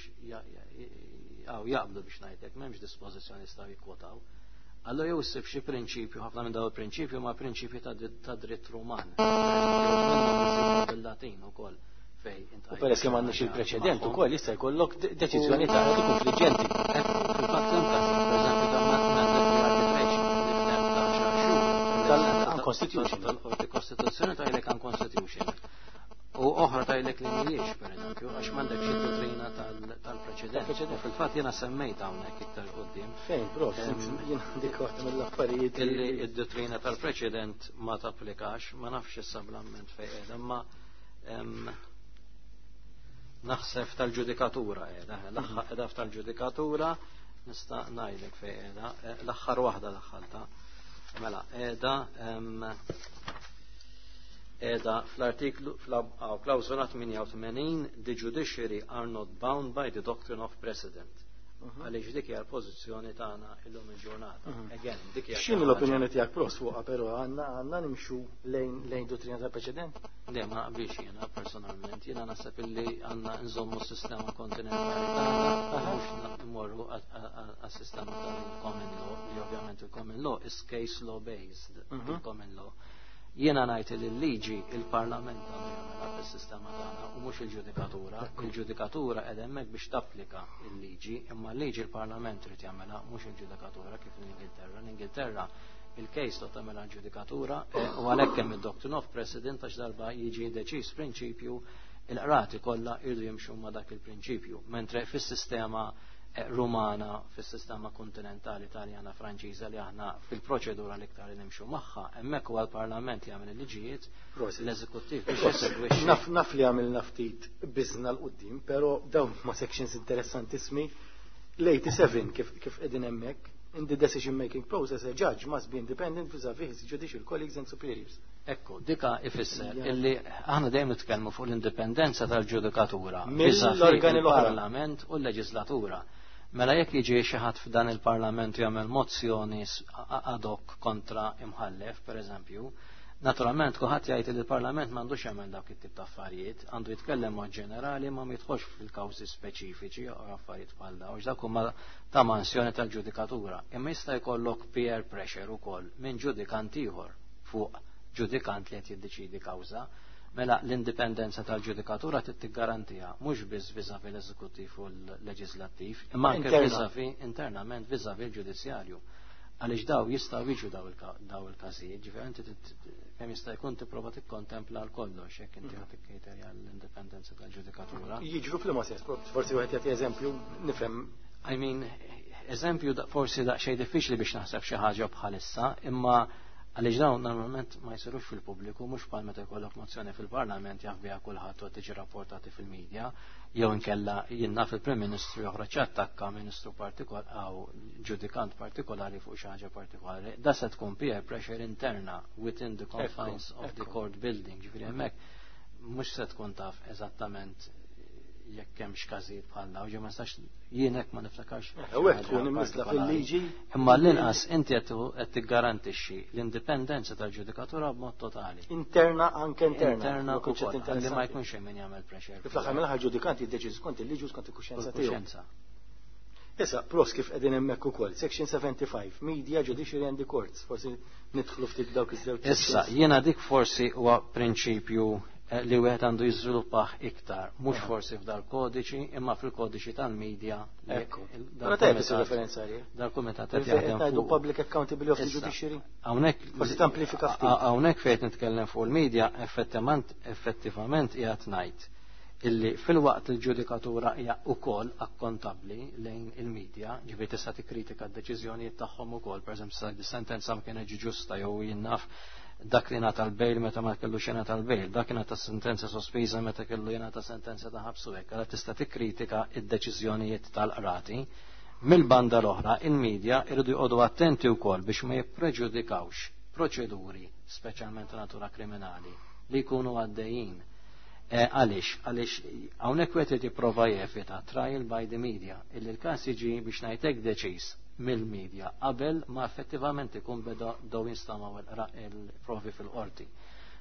jaqblu biex ngħidlek, m'hemmx dispożizzjoni jistgħu jikkwotaw. Allora jew issib xi prinċipju, ħafna minn dawn il-prinċipju ma prinċipji ta' dritt Ruman. Pereżempju, bil-Latin ukoll fej U peress li m'għandniex il-preċedent ukoll jista' jkollok deċiżjoni ta' konfliġġenti. Fil-fatt hemm każijiet, pereżempju ta' mandatory arbitration li f'temp ta' xahar xhur. Tal-unconstitutional. Tal-Qorti Kostituzzjoni tgħidlek unconstitutional. U oħra tgħidlek li mhijiex, pereżempju. pereżempju, għax m'għandekx id-dottrina tal-preċedent. U fil-fatt jiena semmejt hawnhekk iktar quddiem. Fejn, prof, jien dik waħda mill-affarijiet Illi id-dottrina tal-preċedent ma tapplikax, ma nafx issa bl-amment fejn qiegħda, imma naħseb tal-ġudikatura qiegħda, l-aħħar qiegħda tal-ġudikatura nista' ngħidlek fejn qiegħda, l-aħħar waħda daħħalta. Mela, qiegħda qiegħda fl-artiklu fl-klawżola 88, "The judiciary are not bound by the doctrine of precedent." Għaliex dik hija l-pożizzjoni tagħna illum il-ġurnata. Again, dik hija X'inhu l-opinjoni tiegħek, prof, fuqha, però għandna nimxu lejn dottrina tal-preċedent? Le, ma naqbilx jiena personalment. Jiena naħseb illi għandna nżommu s-sistema kontinentali tagħna, mhux mmorru għas-sistema tal-common law, li ovvjament il-common law is case law based, il-common law. Jiena ngħid li l-liġi il-Parlament għandu jagħmilha fis-sistema tagħna u mhux il-ġudikatura. Il-ġudikatura qed hemmhekk biex tapplika l-liġi, imma l-liġi il-Parlament irid jagħmilha, mhux il-ġudikatura kif l-Ingilterra. L-Ingilterra il-case law tagħmilha l-ġudikatura u għalhekk hemm id-doctrine of precedent, għax darba jiġi deċiż prinċipju, il-qrati kollha jridu jimxu ma' dak il-prinċipju. Mentre fis-sistema Rumana, fis-sistema kontinentali Taljana, Franċiża, li aħna fil-proċedura l-iktar li nimxu magħha, hemmhekk huwa l-Parlament li jagħmel il-liġijiet, l-eżekuttiv biex jesegwixxi. Naf li għamilna ftit biżna 'l quddiem, però dawn ma sections interessantissimi. L-87 kif qegħdin hemmhekk, "In the decision making process, a judge must be independent vis-a-vis his judicial colleagues and superiors." Ekku, dika ifisser illi aħna dejjem nitkellmu fuq l-indipendenza tal-ġudikatura mill-organi l-oħra. Il-Parlament u l-leġislatura. Mela jekk jiġi xi ħadd f'dan il-Parlament jagħmel mozzjoni ad hoc kontra imħallef, per eżempju, naturalment kulħadd jgħid li l-Parlament m'għandux jagħmel dawk it-tip ta' affarijiet, għandu jitkellem mod ġenerali ma jidħolx fil-kawżi speċifiċi u affarijiet bħal dawn, dak huma ta' mansjoni tal-ġudikatura. Imma jista' jkollok peer pressure ukoll minn ġudikant ieħor fuq ġudikant li qed jiddeċidi kawża. Mela l-indipendenza tal-ġudikatura trid tiggarantija mhux biss vis-à-vis l-eżekuttiv u l-leġislattiv, imma anke vis-à-vis internament, vis-à-vis l-ġudizzjarju. Għaliex daw jistgħu jiġu daw il-każijiet, ġifieri inti kemm jista' jkun tipprova tikkontempla l kollox jekk inti ħadd tikkriterja l-indipendenza tal-ġudikatura. Jiġru fl sens, forsi wieħed jagħti eżempju, nifhem. I mean, eżempju forsi daqsxejn diffiċli biex naħseb xi ħaġa bħalissa, imma għaliex dawn normalment ma jsirux fil-pubbliku, mhux bħal meta jkollok mozzjoni fil-Parlament jaf biha kulħadd u tiġi rapportati fil-medja, jew inkella jinnaf il-Prim Ministru joħroġ attakka ministru partikolari jew ġudikant partikolari fuq xi ħaġa partikolari. Da se tkun peer pressure interna within the confines of the court building, ġifieri hemmhekk mhux se tkun taf eżattament jekk hemmx każijiet bħal dawn, ġe ma nistax jien hekk ma niftakarx. U hekk tkun imniżla fil-liġi. Imma l-inqas inti qed tiggarantixxi l-indipendenza tal-ġudikatura b'mod totali. Interna, anke interna. Interna ukoll, li ma jkunx hemm min jagħmel pressure. Fl-aħħar mill-aħħar ġudikanti jiddeċidu skont il-liġi u skont il-kuxjenza tiegħu. Kuxjenza. Issa, pros kif qegħdin hemmhekk ukoll, section 75, media, judiciary and the courts, forsi nidħlu ftit dawk iż-żewġ. Issa, jiena dik forsi huwa prinċipju li wieħed għandu jiżviluppah iktar, mhux forsi f'dal kodiċi, imma fil-kodiċi tal-media. Ekku. Però tajjeb isir referenza għalih. Dal-kumitat qed Fejn jaħdem ngħidu fuq. Public accountability of the Issa, judiciary. Hawnhekk Forsi tamplifika ftit. Hawnhekk fejn nitkellem fuq il-media, effettivament qiegħed ngħid illi fil-waqt il-ġudikatura hija wkoll akkontabbli lejn il-medja, ġifieri tista' tikkritika d-deċiżjonijiet tagħhom ukoll, pereżempju sa sentenza ma kienx ġusta jew jinnaf dak li ngħata l-bail meta ma kellux jingħata l-bail, dak ngħata sentenza sospiża meta kellu jingħata sentenza ta' ħabsu hekk, allura tista' tikkritika id-deċiżjonijiet tal-qrati. Mill-banda l-oħra, il-medja irridu jqogħdu attenti wkoll biex ma jippreġudikawx proċeduri, speċjalment ta' natura kriminali, li jkunu għaddejjin. Għaliex, għaliex hawnhekk wieħed irid jipprova jevita trial by the media, illi l-każ jiġi biex ngħidlek deċiż mill-media qabel ma effettivament ikun beda daw jinstamaw il-provi fil-qorti.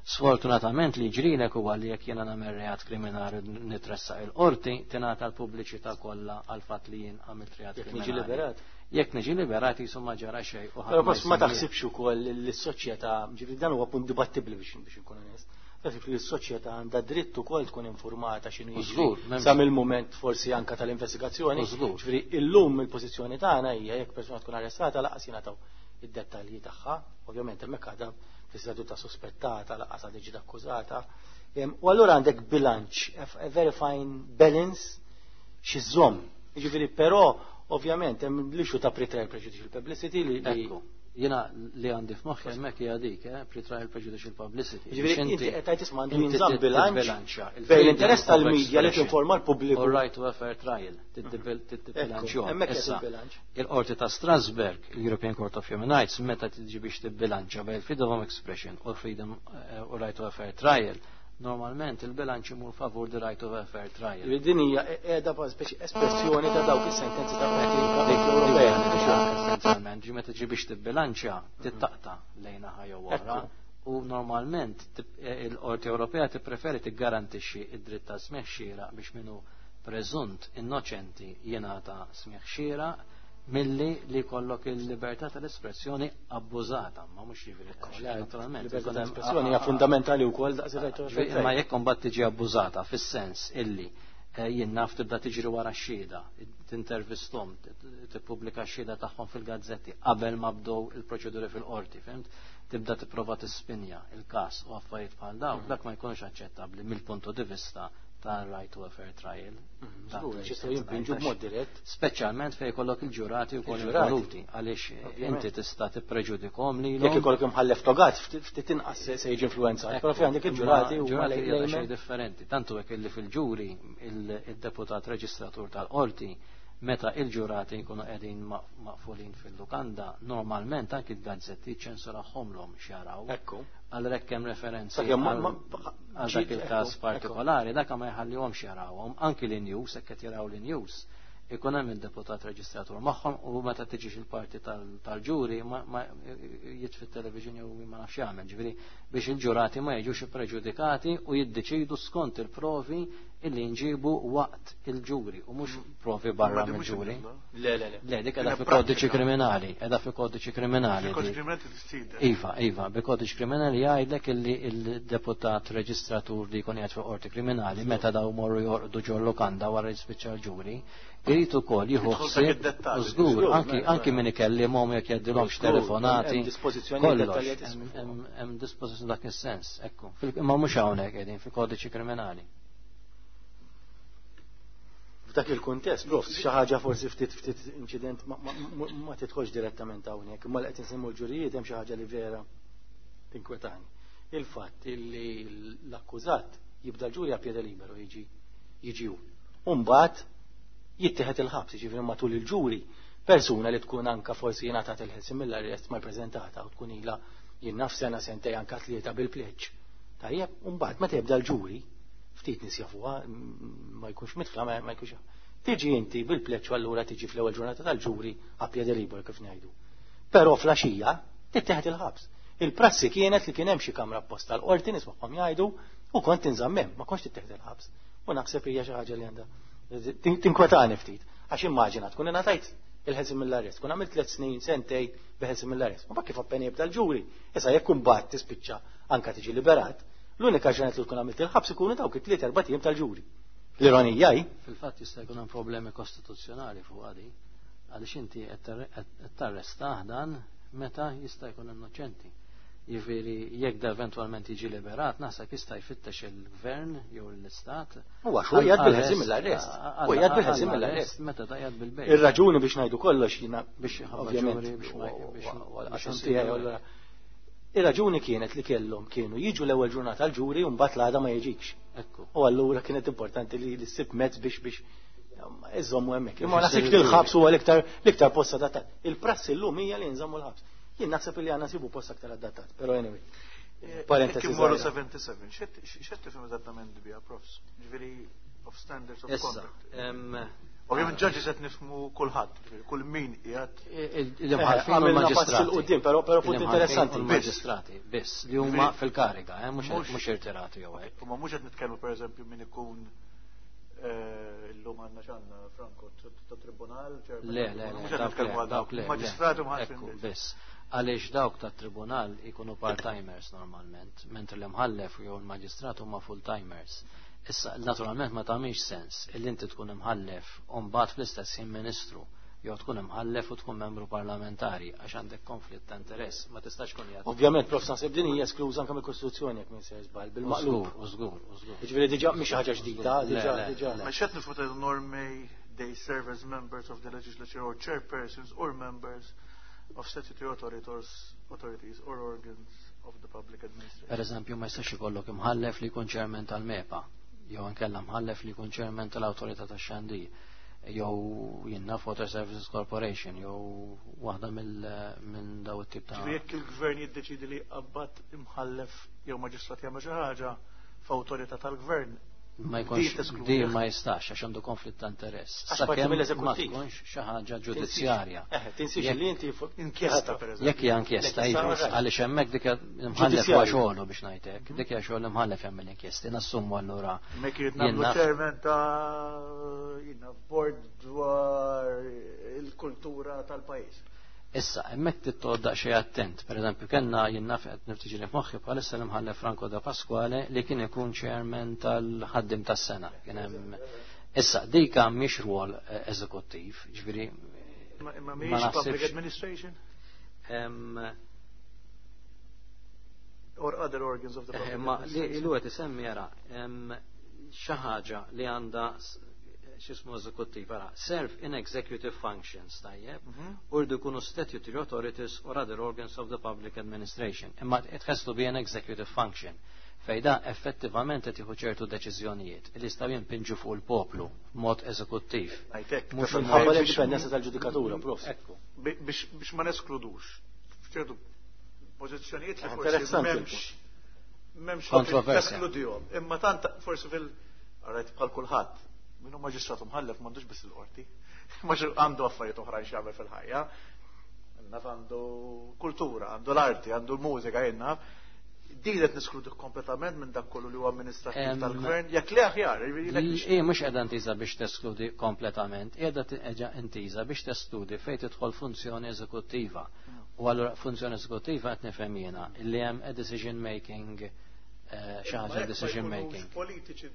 Sfortunatament li ġrilek huwa li jekk jiena nagħmel reat kriminali nitressaq il-qorti, tingħata l-pubbliċità kollha għal fatt li jien għamilt reat Jekk niġi kriminali. liberat. Jekk niġi liberat jisu ma ġara xejn u ħadd Però ma forsi ma jsemmi. taħsibx ukoll li s-soċjetà, ġifieri dan huwa punt dibattibbli biex inkun onest. Taħsib li s-soċjetà għandha dritt ukoll tkun informata x'inhu jiġri Żgur, sa mill-mument forsi anka tal-investigazzjoni. Żgur. Ġifieri illum il-pożizzjoni tagħna hija jekk persuna tkun arrestata laqas jingħataw id-dettalji tagħha, ovvjament hemmhekk għadha fl-istadju ta' sospettata, laqas għadha ġiet akkużata. U allura għandek bilanċ, a very fine balance xi żomm. Jiġifieri però ovvjament hemm l-issue ta' pre-trial prejudicial publicity li Ekku. Jiena li għandi f'moħħi hemmhekk hija dik, pre-trial prejudicial publicity. Jiġifieri inti qed tgħid isma' għandu jinżamm bilanċ bejn l-interess tal-medja li tinforma l-pubbliku. U right to a fair trial, tibbilanċjahom. Issa, il-Qorti ta' Strasbourg, il-European Court of Human Rights, meta tiġi biex tibbilanċja bejn freedom of expression u freedom u right to a fair trial, normalment il-bilanċ imur favur the right of a fair trial. Din hija qiegħda speċi espressjoni ta' dawk is-sentenzi ta' Qorti Ewropea. Essenzjalment, ġi meta ġi biex tibbilanċja, tittaqta lejn naħa jew oħra. U normalment il-Qorti Ewropea tippreferi tiggarantixxi id-dritt ta' smigħ xieraq biex minnu preżunt innoċenti jingħata smigħ xieraq milli li jkollok il-libertà tal-espressjoni abbużata, ma mhux jiġifieri naturalment. Libertà tal-espressjoni hija fundamentali wkoll daqs ir Ma jekk imbagħad tiġi abbużata fis-sens illi jien naf tibda tiġri wara x-xhieda, tintervisthom, tippubblika x-xhieda tagħhom fil-gazzetti qabel ma bdew il-proċeduri fil-qorti, fhimt? Tibda tipprova tispinja il-każ u affarijiet bħal dawk, dak ma jkunx aċċettabbli mill-punto di vista tal-right to a fair trial. Jistgħu jimpinġu b'mod dirett. Speċjalment fejn jkollok il-ġurati wkoll involuti, għaliex inti tista' tippreġudikhom lilhom. Jekk ikollok imħallef togat, ftit inqas se jiġi influenzat, però fejn għandek il-ġurati u ġurati xejn differenti. Tantu hekk illi fil-ġuri il-deputat reġistratur tal-qorti meta il-ġurati jkunu qegħdin maqfulin fil-lukanda, normalment anki l-gazzetti ċensurahomlhom x'jaraw. Ekku. Għalhekk hemm referenzi għal dak il-każ partikolari, dak ma jħallihomx jarawhom, anki l-news, hekk qed jaraw l-news, ikun hemm il-deputat reġistratur magħhom u meta tiġix il-parti tal-ġuri ma jitfi television jew ma nafx jagħmel, ġifieri biex il-ġurati ma jiġux ippreġudikati u jiddeċidu skont il-provi illi nġibu waqt il-ġuri u mhux provi barra mill-ġuri. Le, le, le. Le, dik qiegħda fi kodiċi kriminali, qiegħda fi kodiċi kriminali. Iva, iva, bi kodiċi kriminali jgħidlek illi il-deputat reġistratur li jkun qiegħed fi qorti kriminali meta daw morru jorqdu ġol lukanda wara jispiċċa l-ġuri, irid ukoll jieħu ħsieb u żgur anki min ikellimhom jekk jgħaddilhomx telefonati. Kollox. Hemm dispożizzjoni dak is-sens, ekku. Imma mhux hawnhekk qegħdin fil-kodiċi kriminali. F'dak il-kuntest, prof, xi ħaġa forsi ftit ftit inċident ma tidħolx direttament hawnhekk, imma li qed insemmu l-ġurijiet hemm xi ħaġa li vera tinkwetani. Il-fatt li l-akkużat jibda l-ġuri a piede libero jiġi jiġi hu. U mbagħad jittieħed il-ħabs, jiġifieri matul il-ġuri persuna li tkun anka forsi jingħatat il-ħelsien mill-arrest ma jpreżentata u tkun ilha jien naf sena sentej anka tlieta bil-pleġġ. Tajjeb, u mbagħad meta jibda l-ġuri, ftit nies jafuha, ma jkunx mitħla, ma jkunx. Tiġi inti bil-pleġġ allura tiġi fl-ewwel ġurnata tal-ġuri a piede libero kif ngħidu. Però fl-għaxija tittieħed il-ħabs. Il-prassi kienet li kien hemm xi kamra apposta l-qorti nismagħhom jgħidu u kont tinżamm hemm, ma kontx tittieħed il-ħabs. U naħseb hija xi ħaġa li għandha tinkwetani ftit. Għax immaġina tkun ingħatajt il-ħelsien mill-arrest, tkun għamilt 3 snin, sentej bil-ħelsien mill-arrest. Ma kif appena jibda l-ġuri, issa jekk imbagħad tispiċċa anka tiġi liberat, l-unika ġranet li tkun għamilt il-ħabs ikunu dawk it-tliet erba' ijiem tal-ġuri. L-ironija hi. Fil-fatt jista' jkun hemm problemi kostituzzjonali fuq għadi, għaliex inti qed tarrestah dan meta jista' jkun innoċenti. Jiġifieri jekk da eventwalment jiġi liberat, naħseb jista' jfittex il-gvern jew l-istat. Huwa xu jgħid bil-ħelsien mill-arrest. U jgħid bil-ħelsien mill-arrest. Meta da jgħid bil-bejt. Ir-raġuni biex ngħidu kollox jiena biex ovvjament biex biex Ir-raġuni kienet li kellhom kienu jiġu l-ewwel ġurnata l-ġuri u mbagħad l-għada ma jiġikx. Ekku. U allura kienet importanti li ssib mezz biex biex iżommu hemmhekk. Imma naħseb li l-ħabs huwa l-iktar post adattat. Il-prassi llum hija li nżommu l-ħabs. Jien naħseb li għandna sibu post aktar adattat, però anyway. Parentesi. Kif morru 77, x'qed tifhem eżattament biha, profs? Ġifieri of standards of conduct. Ovvjament judges qed nifhmu kulħadd, kull min qiegħed. Il-imħallfin u l-maġistrati. Però però punt interessanti. Il-maġistrati biss li huma fil-kariga, mhux irtirati jew hekk. Ma mhux qed nitkellmu pereżempju min ikun illum għandna x'għandna Franco ta' tribunal. Le, le, le, dawk le. Maġistrati u mħallfin biss. Għaliex dawk ta' tribunal ikunu part-timers normalment, mentri l-imħallef jew il-maġistrat huma full-timers. Issa, naturalment ma tagħmilx sens illi inti tkun imħallef u mbagħad fl-istess ħin ministru Jew tkun imħallef u tkun membru parlamentari għax għandek konflitt ta' interess, ma tistax tkun jgħid. Ovvjament, prof, naħseb din hija eskluża anke mill-Kostituzzjoni jekk minn se żball bil-maqlub. Żgur, żgur. Jiġifieri diġà mhix ħaġa ġdida, diġà diġà. Ma x'qed nifhmu nor may they serve as members of the legislature or chairpersons or members of statutory authorities or organs of the public administration. Per eżempju, ma jistax ikollok imħallef li jkun chairman tal-MEPA, jew inkella mħallef li jkun chairman tal-Awtorità tax-Xandir, jew jien naf Water Services Corporation, jew waħda minn daw it-tip ta' Ġifieri jekk il-gvern jiddeċidi li qabad imħallef jew maġistrat jagħmel xi ħaġa f'awtorità tal-gvern, ma jkunx di ma jistax għax għandu konflitt ta' interess. Sakemm ma tkunx xi ħaġa ġudizzjarja. Tinsiex li inti inkjesta pereżempju. Jekk hija inkjesta, iva, għaliex hemmhekk dik imħallef huwa xogħlu biex ngħidlek, dik hija xogħol imħallef jagħmel inkjesti, nassumu allura. Mek irid nagħmlu chairman ta' jiena board dwar il-kultura tal-pajjiż. Issa, hemmhekk trid daqsxejn attent. Per eżempju, kellna jien naf qed niftiġi f'moħħi bħalissa l-imħallef Franco da Pasquale li kien ikun chairman tal-ħaddim tas-sena. Kien hemm Issa, dika mhix rwol eżekuttiv, ġifieri. Imma mhix public administration? Or other organs of the public Ma li ilu qed isemmi jara xi ħaġa li għandha x'ismu eżekuttiv, ara, serve in executive functions, tajjeb, u rridu jkunu statutory authorities or other organs of the public administration. Imma it has to be an executive function. Fejn da effettivament qed jieħu ċertu deċiżjonijiet li jistgħu jimpinġu fuq il-poplu b'mod eżekuttiv. Mhux minħabba l-indipendenza tal-ġudikatura, prof. Ekku. Biex ma neskludux f'ċertu pożizzjonijiet li forsi m'hemmx kontroversja. Teskludihom. Imma tant forsi fil Alright, bħal kulħadd. Minnu maġistrat mħallef m'għandux biss il-qorti. Ma għandu affarijiet oħrajn x'jagħmel fil-ħajja. Naf għandu kultura, għandu l-arti, għandu l-mużika, jien naf. Din qed neskludi kompletament minn dak kollu li huwa amministrattiv tal-gvern, jekk le aħjar. Hi mhux qiegħda intiża biex teskludi kompletament, qiegħda intiża biex teskludi fejn tidħol funzjoni eżekuttiva. U allura funzjoni eżekuttiva qed nifhem jiena li hemm a decision making, xi ħaġa decision making. Politiċi,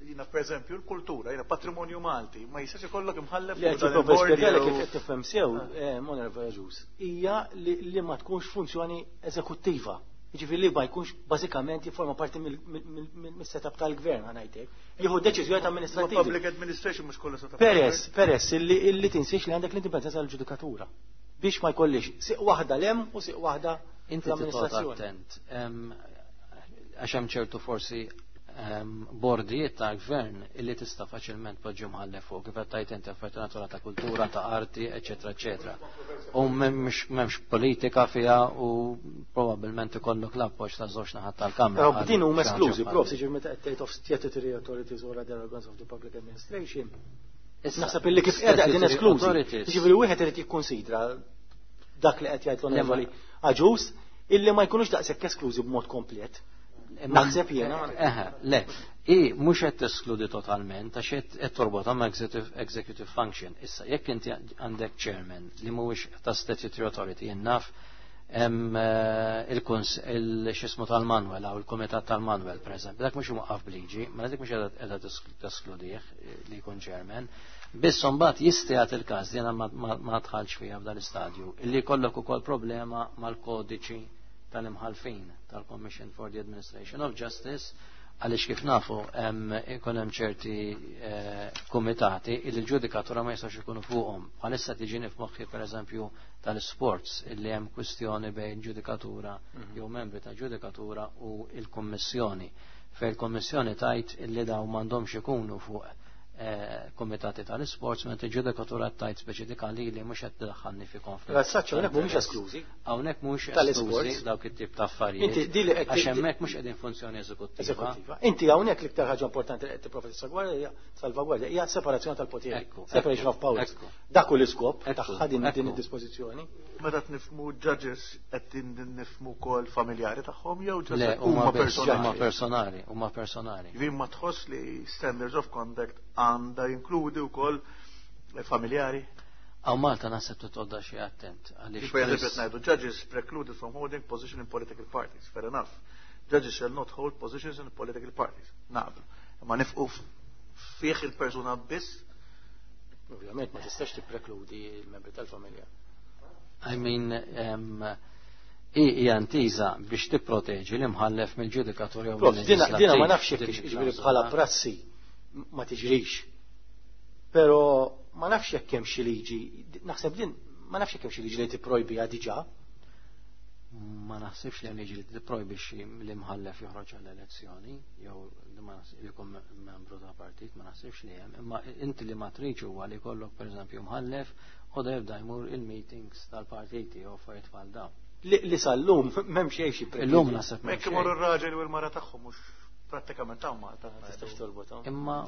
jiena per eżempju l-kultura, jiena patrimonju Malti, ma jistax ikollok imħallef. Li qed jipprova spjegalek kif qed tifhem sew, Onorevole Agius, hija li ma tkunx funzjoni eżekuttiva. Jiġifieri li ma jkunx bażikament jifforma parti mis-setup tal-gvern, ħa ngħidlek. Jieħu deċiżjoni amministrativi. Public administration mhux kollha setup. Peress illi tinsiex li għandek l-indipendenza tal-ġudikatura. Biex ma jkollix siq waħda lem u siq waħda Inti l-amministrazzjoni. attent. Għax hemm ċertu forsi bordijiet ta' gvern illi tista' faċilment poġġi mħallef fuq, kif qed tgħid inti affarijiet natura ta' kultura, ta' arti, eċetera, eċetera. U m'hemmx politika fiha u probabbilment ikollok l-appoġġ ta' żewġ naħat tal-Kamra. Però din huma esklużi, prof, jiġifieri meta qed tgħid of statutory authorities or other organs of the public administration. Naħseb illi kif qiegħda qegħdin esklużi. Jiġifieri wieħed irid jikkonsidra dak li qed jgħid l-Onorevoli Agius illi ma jkunux daqshekk esklużi b'mod komplet. Naħseb jiena. Eħe, le, i mhux qed teskludi totalment għax qed torbotha ma' executive function. Issa jekk inti għandek chairman li mhuwiex ta' statutory authority, jien naf hemm il-kuns il-xismu tal-Manuel aw il-kumitat tal-Manuel pereżempju, dak mhux imwaqqaf b'liġi, ma dik mhux qiegħda teskludih li jkun chairman. Biss imbagħad jista' jagħti il-każ li jiena ma dħalx fiha f'dan l-istadju, illi jkollok ukoll problema mal-kodiċi tal-imħalfin tal-Commission for the Administration of Justice, għaliex kif nafu ikun hemm ċerti kumitati illi l-ġudikatura ma jistax ikunu fuqhom. Bħalissa tiġini f'moħħi pereżempju tal-sports illi hemm kwistjoni bejn ġudikatura jew membri ta' ġudikatura u l-Kummissjoni. Fejn il-Kummissjoni tajt illi dawn m'għandhomx ikunu fuq komitati tal-sports, mentre ġudikatura tajt speċifikali li mhux qed tiddaħħalni fi konflitt. La saċċa hawnhekk mhumiex esklużi. Hawnhekk mhux Tal-sports. esklużi dawk it-tip ta' affarijiet. Inti di li qed Għax hemmhekk mhux qegħdin funzjoni eżekuttiva. Eżekuttiva. Inti hawnhekk l-iktar ħaġa importanti li qed tipprova salvagwardja hija separazzjoni tal-poteri. Separation of powers. Dak hu l-iskop tagħha din id-dispożizzjoni. Meta nifhmu judges qed nifhmu wkoll familjari tagħhom jew Le, just huma huma biss, personali? Huma personali, huma personali. Jiġifieri ma tħoss li standards of conduct għandha jinkludi wkoll familjari? Għaw Malta naħseb titgħodda xi attent, għaliex Per eżempju, Chris qed ngħidu judges precluded from holding position in political parties. Fair enough. Judges shall not hold positions in political parties. Naqblu. Imma nifqu fih il-persuna biss. Ovvjament ma tistax tipprekludi l-membri tal-familja. I mean, hija intiża biex tipproteġi l-imħallef mill-ġudikatur jew Dina ma nafx jekk jiġifieri bħala prassi ma tiġrix. Però ma nafx jekk hemm xi liġi, naħseb din ma nafx jekk hemm xi liġi li tipprojbiha diġà. Ma naħsibx li hemm liġi li tipprojbixxi l-imħallef joħroġ għall-elezzjoni jew li jkun membru ta' partit, ma naħsibx li hemm, imma inti li ma tridx huwa li jkollok pereżempju mħallef u da jibda jmur il-meetings tal-partiti jew affarijiet bħal dawn. Li sal-lum m'hemm xejn xi Illum naħseb. Ma jekk imorru r-raġel u l-mara tagħhom mhux prattikament hawn Malta. Tistax torbot. Imma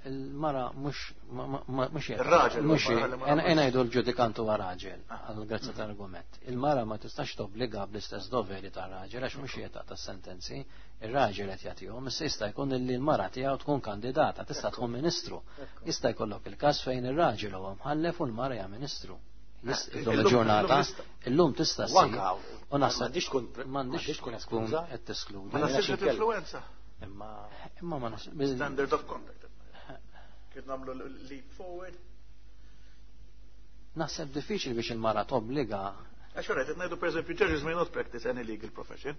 il-mara mhux mhux Ir-raġel mhux ngħidu l-ġudikant huwa raġel għal grazza tal-argument. Il-mara ma tistax tobbliga bl-istess doveri tar-raġel għax mhux qed taqta' sentenzi, ir-raġel qed jagħtihom, issa jista' jkun li l-mara tiegħu tkun kandidata, tista' tkun ministru. Jista' jkollok il-każ fejn ir-raġel huwa mħallef u l-mara hija ministru. Illum il-ġurnata, illum tista' ssir. U naħseb m'għandix tkun eskluża qed teskludi. Ma naħsibx li influenza. Imma ma naħseb. Standard of conduct. Kif nagħmlu leap forward? Naħseb diffiċli biex il-mara tobbliga. Għax ora qed ngħidu pereżempju judges may not practice any legal profession.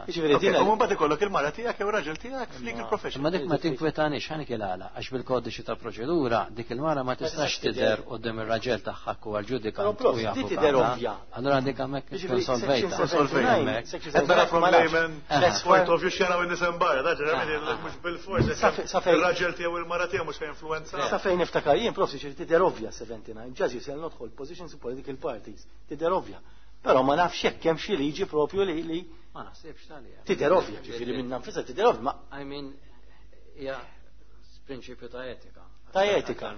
Jiġifieri din U mbagħad ikollok il-mara tiegħek jew raġel tiegħek f'legal profession. Imma dik ma tinkwetanix ħanik il-għala għax bil-kodiċi ta' proċedura dik il-mara ma tistax tidher quddiem ir-raġel tagħha huwa l-ġudikant u jafu. Di tidher ovvja. Allura dik hemmhekk tkun solvejta. Qed nara from layman point of view x'jaraw in-nies hemm barra, da ġeneralment mhux bil-fors. Ir-raġel tiegħu il-mara tiegħu mhux influenza. Sa fejn niftakar jien prof tidher ovvja 79, judges shall not hold positions in political parties. Tidher ovvja. Però ma nafx jekk hemm xi liġi propju li ma naħsibx tali. Tidher ovvja, ġifieri minn nfisha tidher ovvja, ma I mean hija prinċipju ta' etika. Ta' etika.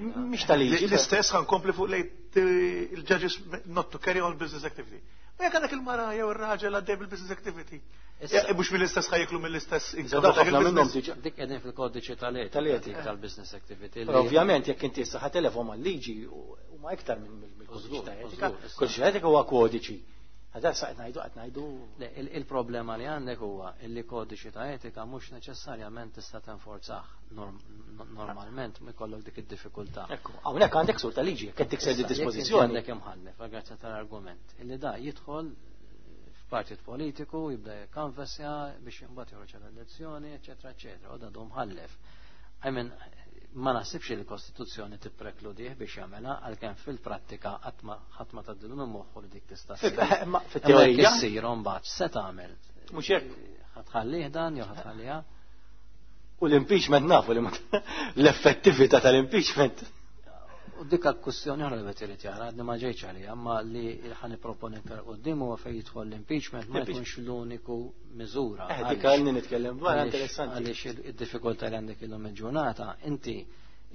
Mhix ta' liġi. L-istess ħa nkompli fuq lejn il-judges not to carry on business activity. Ma jekk għandek il-mara jew ir-raġel għaddej bil-business activity. Mhux mill-istess ħa jiklu mill-istess minnhom diġà. Dik qegħdin fil-kodiċi tal-etika tal-business activity. Ovvjament jekk inti issa ħa telefon mal-liġi huma iktar minn mill-kodiċi ta' etika. Kodiċi ta' etika huwa kodiċi. Għadha sa qed ngħidu qed ngħidu. Il-problema li għandek huwa li kodiċi ta' etika mhux neċessarjament tista' tenforzah normalment ma jkollok dik id-diffikultà. Ekku, hawnhekk għandek sur ta' liġi, jekk qed tikser di dispożizzjoni. Għandek imħallef, grazzi tal-argument, illi da jidħol f'partit politiku, jibda jikkanvassja biex imbagħad joħroġ għall-elezzjoni, eċetera, eċetera, u da dum ħallef. I mean, ma naħsibx li l-Kostituzzjoni tipprekludih biex jagħmilha għalkemm fil-prattika qatt ma tgħaddilu minn moħħu li dik tista' ssir. Fit-teorija issir mbagħad se tagħmel. Mhux hekk. Ħa tħallih dan jew ħa tħalliha. U l-impeachment nafu li l-effettività tal-impeachment. U dik kwestjoni oħra li qed irid jara, li ma ġejtx għalija, imma li ħa nipproponi iktar quddiem huwa fejn jidħol l-impeachment ma jkunx l-uniku miżura. Dik għalni nitkellem dwar interessanti. Għaliex id-diffikultà li għandek illum il-ġurnata, inti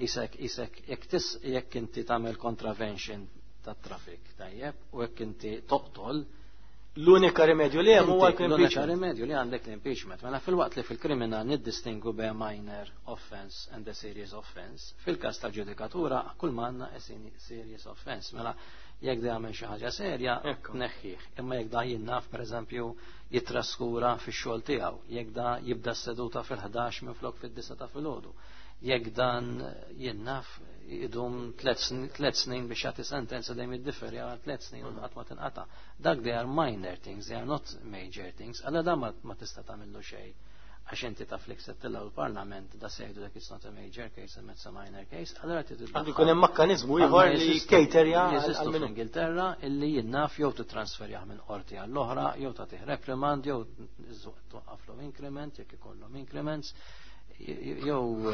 isek isek jekk inti tagħmel contravention tat-traffic tajjeb u jekk inti toqtol L-unika rimedju li hemm huwa L-unika l-impeachment. rimedju li għandek l-impeachment. Mela fil-waqt li fil-kriminal niddistingu bejn minor offense and a serious offense, fil-każ tal-ġudikatura kull ma għandna a serious offense. Mela jekk da jagħmel xi ħaġa serja, neħħih. Imma jekk da jinnaf pereżempju jitraskura fix-xogħol tiegħu, jekk da jibda s-seduta fil-11 minflok fid-9 ta' filgħodu, jekk dan jinnaf idum 3 snin biex jagħti sentenza dejjem jiddiferi għal 3 snin u qatt ma tinqata'. Dak they are minor things, they are not major things. Alla da ma tista' tagħmillu xejn. Għax inti taf li ksettilha l-Parlament da se jgħidu dak it's not a major case and it's a minor case, allura trid Għandu jkun hemm mekkaniżmu ieħor li caterja jeżistu għal minnu. fl-Ingilterra illi jinnaf jew titransferjah minn qorti għall-oħra, jew tagħtih reprimand, jew twaqqaflhom increment jekk ikollhom increments, jew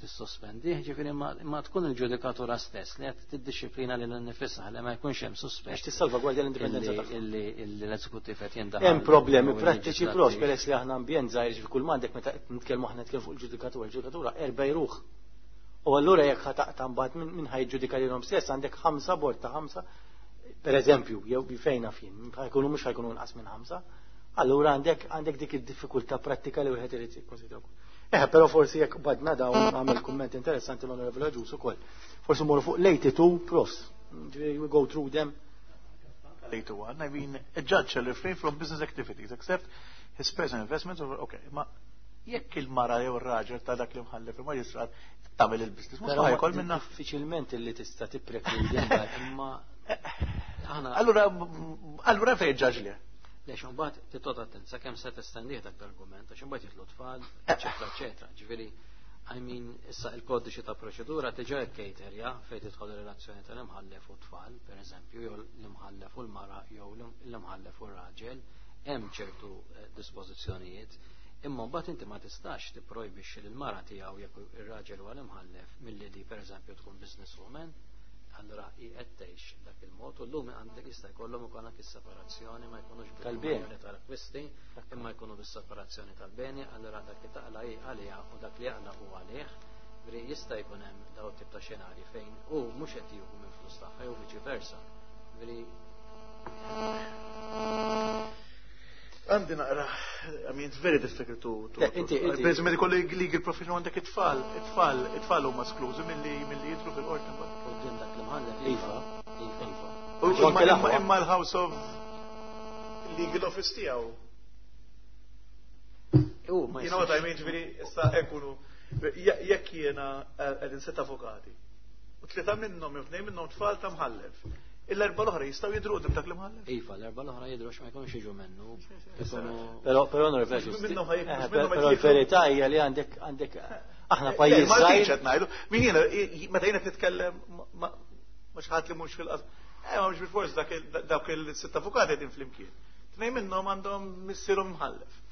tissospendih, ġifieri ma tkun il-ġudikatura stess li qed tiddixxiplina lil nifisha li ma jkunx hemm suspett. Biex tissalvagwardja l-indipendenza tagħha. Illi l-eżekuttiv qed jindaħal. Hemm problemi jew prattiċi il-leġislattiv. pros peress li aħna ambjent żgħir ġifieri kull m'għandek meta qed nitkellmu aħna nitkellmu fuq il-ġudikatura, il-ġudikatura erba' jruħ. U allura jekk ħa taqta' mbagħad min ħa jiġġudika lilhom stess għandek 5 bord ta' 5, per eżempju, jew fejn naf jien, ħajkunu mhux ħajkunu inqas minn 5, allura għandek dik id-diffikultà prattika li wieħed irid jikkonsidra wkoll. Però forsi jekk badna dawn għamel kumment interessanti l-Onorevole Agius ukoll. Forsi morru fuq l-82 profs. Ġifieri we go through them. 81, I mean, a judge shall refrain from business activities except his personal investments over, okay, ma Jekk il-mara jew ir-raġel ta' dak li mħallef il-maġistrat tagħmel il-business, mhux ħajkol minna. Diffiċilment li tista' tipprekludi imma aħna. Allura fejn ġaġli? Lex imbagħad titqgħod attent sakemm se testendih dak l-argument għax imbagħad jidħlu tfal, eċetera, eċetera. Ġifieri, I mean, issa il-kodiċi ta' proċedura diġà jkejterja fejn tidħol ir-relazzjoni tal-imħallef u tfal, per eżempju, jew l-imħallef u l-mara jew l-imħallef u r-raġel, hemm ċertu dispożizzjonijiet. Imma mbagħad inti ma tistax tipprojbixxi lill-mara tiegħu jekk ir-raġel huwa l-imħallef milli di pereżempju tkun businesswoman, allura hi qed tgħix dak il-mod u llum għandek jista' jkollhom ukoll anke s-separazzjoni ma jkunux tal-beni tal-akkwisti, imma jkunu bis-separazzjoni tal-beni, allura dak li taqla hi għaliha u dak li jaqla hu għalih. Ġifieri jista' jkun hemm daw tip ta' xenarji fejn hu mhux qed jieħu minn flus tagħha jew viċi versa. Ġifieri għandi naqra, I mean, it's very difficult to... Inti, Per eżempju, kollu legal profession għandek it-tfal, it-tfal, it-tfal huma esklużi milli jidhru fil-qorti. Quddiem dak l-imħallef. Iva, iva. Imma l-House of Legal Office tiegħu. U ma You know what I mean, ġifieri, issa ekunu, jekk jiena qegħdin sitt avukati, u tlieta minnhom jew tnejn minnhom tfal ta' mħallef. Il-erba l-oħra jistgħu jidhru quddiem dak l-imħallef? Iva, l-erba l-oħra jidhru għax ma jkunux jiġu minnu. Però però però l-verità hija li għandek aħna pajjiż. Ma kienx qed ngħidu. Min jiena meta jiena nitkellem ma xi ħadd li mhux fil-qasam. Ma mhux bil-fors dak il-sitt avukati qegħdin flimkien. Tnejn minnhom għandhom missierhom mħallef.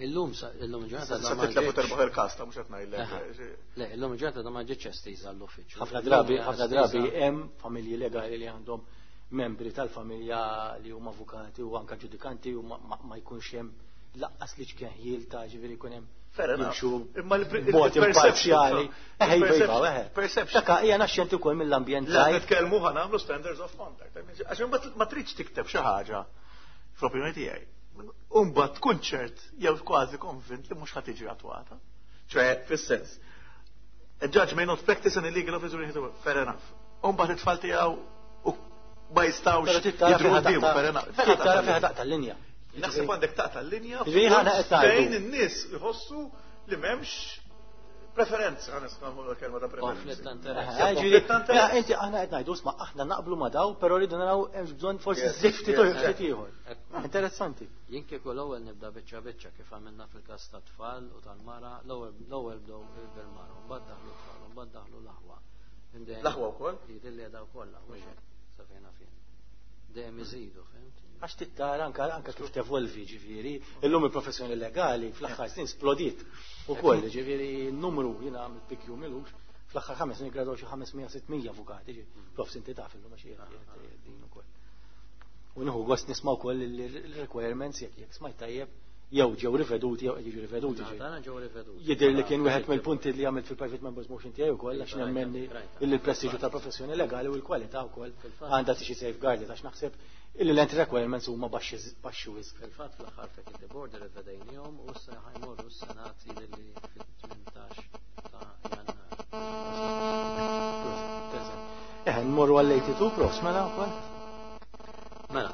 Illum illum ġurnata da ma ġietx. terbaħ il-każ ta' mhux qed ngħidlek. Le, illum ġurnata da ma ġietx estiża l-uffiċċju. Ħafna drabi hemm familji legali li għandhom membri tal-familja li huma avukati u anka ġudikanti u ma jkunx hemm laqqas li ċkenħil ta' ġifieri jkun hemm jimxu b'mod imparzjali. Perception. Daka hija naxxenti wkoll mill-ambjent. La nitkellmu ħa nagħmlu standards of conduct. Għax imbagħad ma tridx tikteb xi ħaġa fl-opinjoni tiegħi. Imbagħad tkun ċert jew kważi konvint li mhux ħa tiġi attwata. ċoè, fis-sens, a judge may not practice an illegal office during his work. Fair enough. Imbagħad it-tfal tiegħu u ma jistgħux jidhru quddiemu, fair enough. Tara fejn taqta' l-linja. Naħseb għandek taqta' l-linja fejn in-nies iħossu li m'hemmx preferenza, għana nismamu l-kelma ta' preferenza. Konflitt ta' interess. Inti aħna qed ngħidu sma' aħna naqblu ma' daw, però rridu naraw hemm bżonn forsi żift ftit ieħor. Interessanti. Jien kieku l-ewwel nibda biċċa biċċa kif għamilna fil-każ tat-tfal u tal-mara, l-ewwel bdew bil-mara, u mbagħad daħlu t-tfal, u mbagħad daħlu l-aħwa. L-aħwa wkoll? Jidhirli li daw kollha, mhux hekk, sa fejn fien. Dejjem iżidu, fhimt? Għax tittara anka kif tevolvi, ġifieri, illum il-professjoni legali fl-aħħar snin splodiet ukoll, ġifieri n-numru jiena għamilt PQ milux, fl-aħħar 5 snin gradwaw xi 500-600 avukati, ġifieri, prof inti taf illum għax din ukoll. U nieħu gost nisma' wkoll il-requirements jekk smajt tajjeb jew ġew riveduti jew qed jiġu riveduti. Tagħna ġew riveduti. Jidher li kien wieħed mill-punti li għamilt fil-private members motion tiegħi wkoll għax nemmen li l-prestiġju tal-professjoni legali u l-kwalità wkoll għandha tiġi safeguarded għax naħseb illi l-entry requirements huma baxxi wisq. Fil-fatt fl-aħħar faculty board rivedejniehom u issa ħajmorru s-Senat li fit-18 ta' Jannar. Nmorru għall-82 profs mela wkoll. Mela,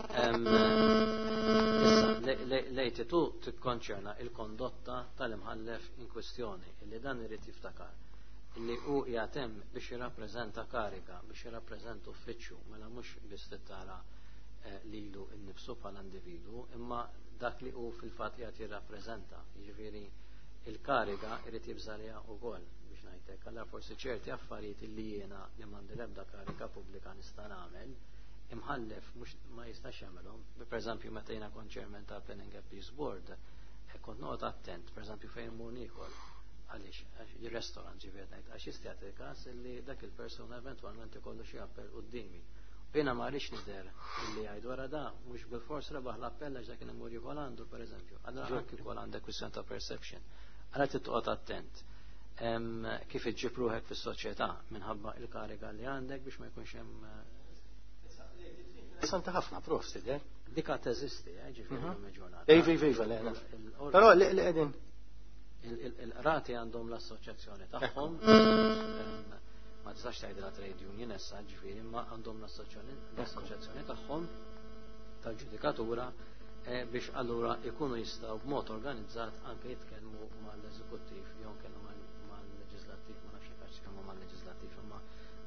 issa l-82 tikkonċerna il-kondotta tal-imħallef in kwestjoni illi dan irid jiftakar illi hu jagħtem biex jirrappreżenta karika, biex jirrappreżenta uffiċċju, mela mhux biss tittara lilu nnifsu bħala individu, imma dak li hu fil-fatt qiegħed jirrappreżenta. Jiġifieri il-kariga irid jibżalija wkoll biex ngħidlek. Allura forsi ċerti affarijiet illi jiena li m'għandi l-ebda karika pubblika nista' nagħmel, imħallef mhux ma jistax jagħmelhom. Pereżempju meta jiena kont chairman ta' Planning and Peace Board, kont noqgħod attent, pereżempju fejn mur niekol għaliex il-restaurant ġifieri ngħid għax jista' jagħti il-każ illi dak il-persuna eventwalment ikollu xi appell quddiemi. Jiena ma rridx nidher illi jgħid wara da mhux bil-fors rebaħ l-appell għax dak imur jikol għandu pereżempju. Allura anke jkoll għandek kwistjoni ta' perception. Allura trid toqgħod attent kif iġġib ruħek fis-soċjetà minħabba il-kariga li għandek biex ma jkunx hemm Interessanti ħafna, prof, tidher. Dika teżisti, ġifieri l-ġurnata. Ej, ej, ej, le, le. Però li qegħdin il-qrati għandhom l-assoċjazzjoni tagħhom. Ma tistax tgħidilha trade union issa, ġifieri, imma għandhom l-assoċjazzjoni tagħhom tal-ġudikatura. Biex allura ikunu jistgħu b'mod organizzat anke jitkellmu mal-eżekuttiv jew kellhom mal-leġislattiv, ma nafx jekk jitkellmu mal-leġislattiv, imma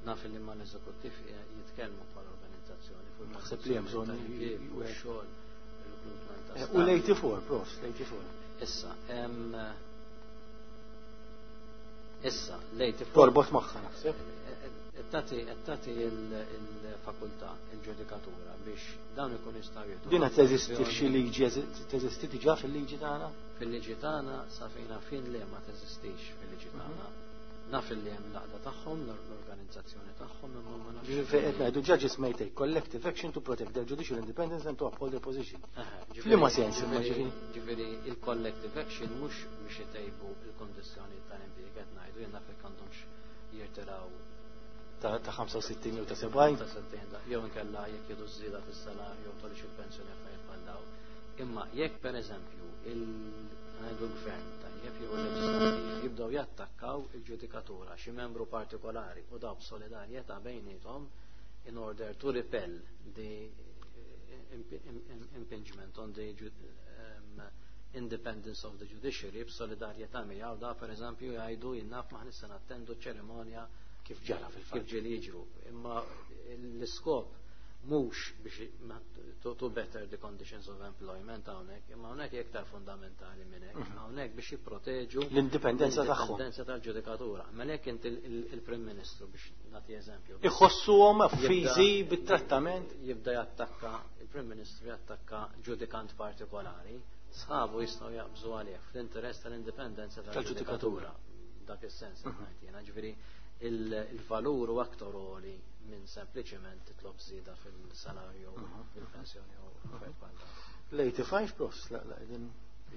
naf li mal-eżekuttiv jitkellmu bħala organizzazzjoni fuq Naħseb li hemm bżonn xogħol recruitment ta' U l-84, prof, l-84. Issa, issa, l-84. Torbot magħha naħseb. Tati il-fakultà, il-ġudikatura biex dawn ikun jistgħu jieħdu. Din qed teżisti f'xi liġi, teżisti diġà fil-liġi tagħna? Fil-liġi tagħna sa fejna fin le ma teżistix fil-liġi tagħna. Naf li hemm l-għaqda tagħhom, l-organizzazzjoni tagħhom, imma ma nafx. Ġifieri qed ngħidu judges may take collective action to protect their judicial independence and to uphold their position. F'liema sens imma ġifieri? Ġifieri il-collective action mhux biex itejbu il-kondizzjoni tal-impjieg qed ngħidu, jien naf jekk għandhomx jirtiraw ta' 65 jew ta' 70. Ta' 70, jew inkella jekk jieħdu żieda fis-salarju jew tolix il-pensjoni affarijiet bħal dawn. Imma jekk pereżempju ngħidu l-gvern tajjeb jew il-leġislattiv jibdew jattakkaw il-ġudikatura xi membru partikolari u daw b'solidarjetà bejniethom in order to repel the impingement on the independence of the judiciary, b'solidarjetà miegħu da pereżempju jgħidu jinnaf maħ nista' nattendu ċerimonja kif ġara fil-fatt. Kif ġieli jiġru. Imma l-iskop mhux biex to better the conditions of employment hawnhekk, imma hawnhekk hija iktar fundamentali minn hekk. Hawnhekk biex jipproteġu l-indipendenza tagħhom. L-indipendenza tal-ġudikatura. Mela jekk inti il-Prim Ministru, biex nagħti eżempju. Iħossuhom affiżi bit-trattament. Jibda jattakka, il-Prim Ministru jattakka ġudikant partikolari, sħabu jistgħu jaqbżu għalih fl-interess tal-indipendenza tal-ġudikatura. Dak is-sens ngħid jiena, ġifieri il-valur u aktar għoli minn sempliċement titlob żieda fil-salarju, fil-pensjoni u affarijiet bħal dawn. L-85 pros, la, la, din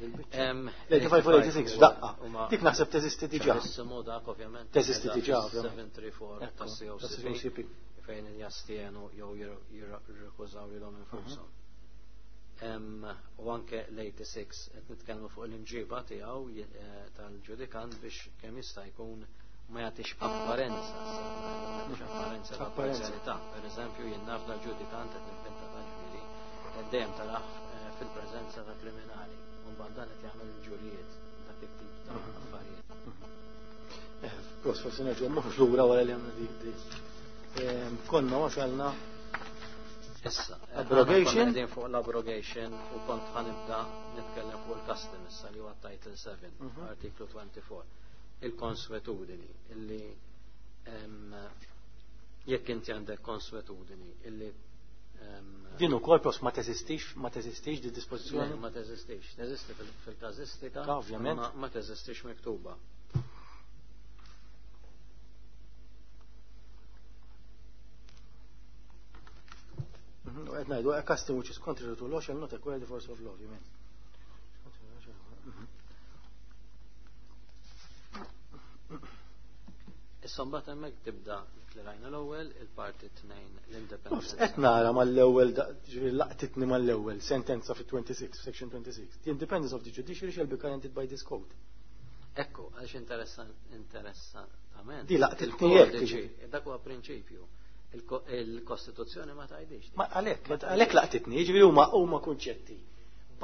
il-biċċa. L-85 u l-86 f'daqqa. Dik naħseb teżisti diġà. Ċarissimo dak ovvjament. Teżisti diġà, ovvjament. 734 tas-COCP fejn jastienu jew jirrekużaw lilhom infushom. U anke l-86 qed nitkellmu fuq l-imġiba tiegħu tal-ġudikant biex kemm jista' jkun ma jagħtix apparenza, ma jagħtix apparenza ta' parzjalità. Per eżempju, jien naf dal-ġudikant qed nivvinta ta' ġifieri dejjem tarah fil-preżenza ta' kriminali. U mbagħad dan qed jagħmel il-ġurijiet dak it-tip ta' affarijiet. Pros, forsi nerġgħu mmorru lura wara li għamlu dik. Konna wasalna Issa, abrogation. Qegħdin fuq l-abrogation u kont ħanibda nitkellem fuq il-custom issa li huwa Title 7, artiklu 24. Il-konswetudini illi jekk inti għandek konswetudini illi din ukoll pros ma teżistix, ma teżistix di dispożizzjoni? Ma teżistix, teżisti fil-każistika, ovvjament. Ma teżistix miktuba. U qed ngħidu a custom which is contrary to law shall not acquire the force of law, you mean. Issa mbagħad hemmhekk tibda dik li rajna l-ewwel, il-parti 2 l-independence. Qed nara mal-ewwel, ġifieri laqtitni mal-ewwel sentenza fi 26, section 26. The independence of the judiciary shall be guaranteed by this code. Ekku, għaliex interessantament. Di laqtitni hekk, ġifieri. Dak huwa prinċipju. Il-Kostituzzjoni ma tgħidix. Ma għalhekk laqtitni, jiġifieri huma kunċetti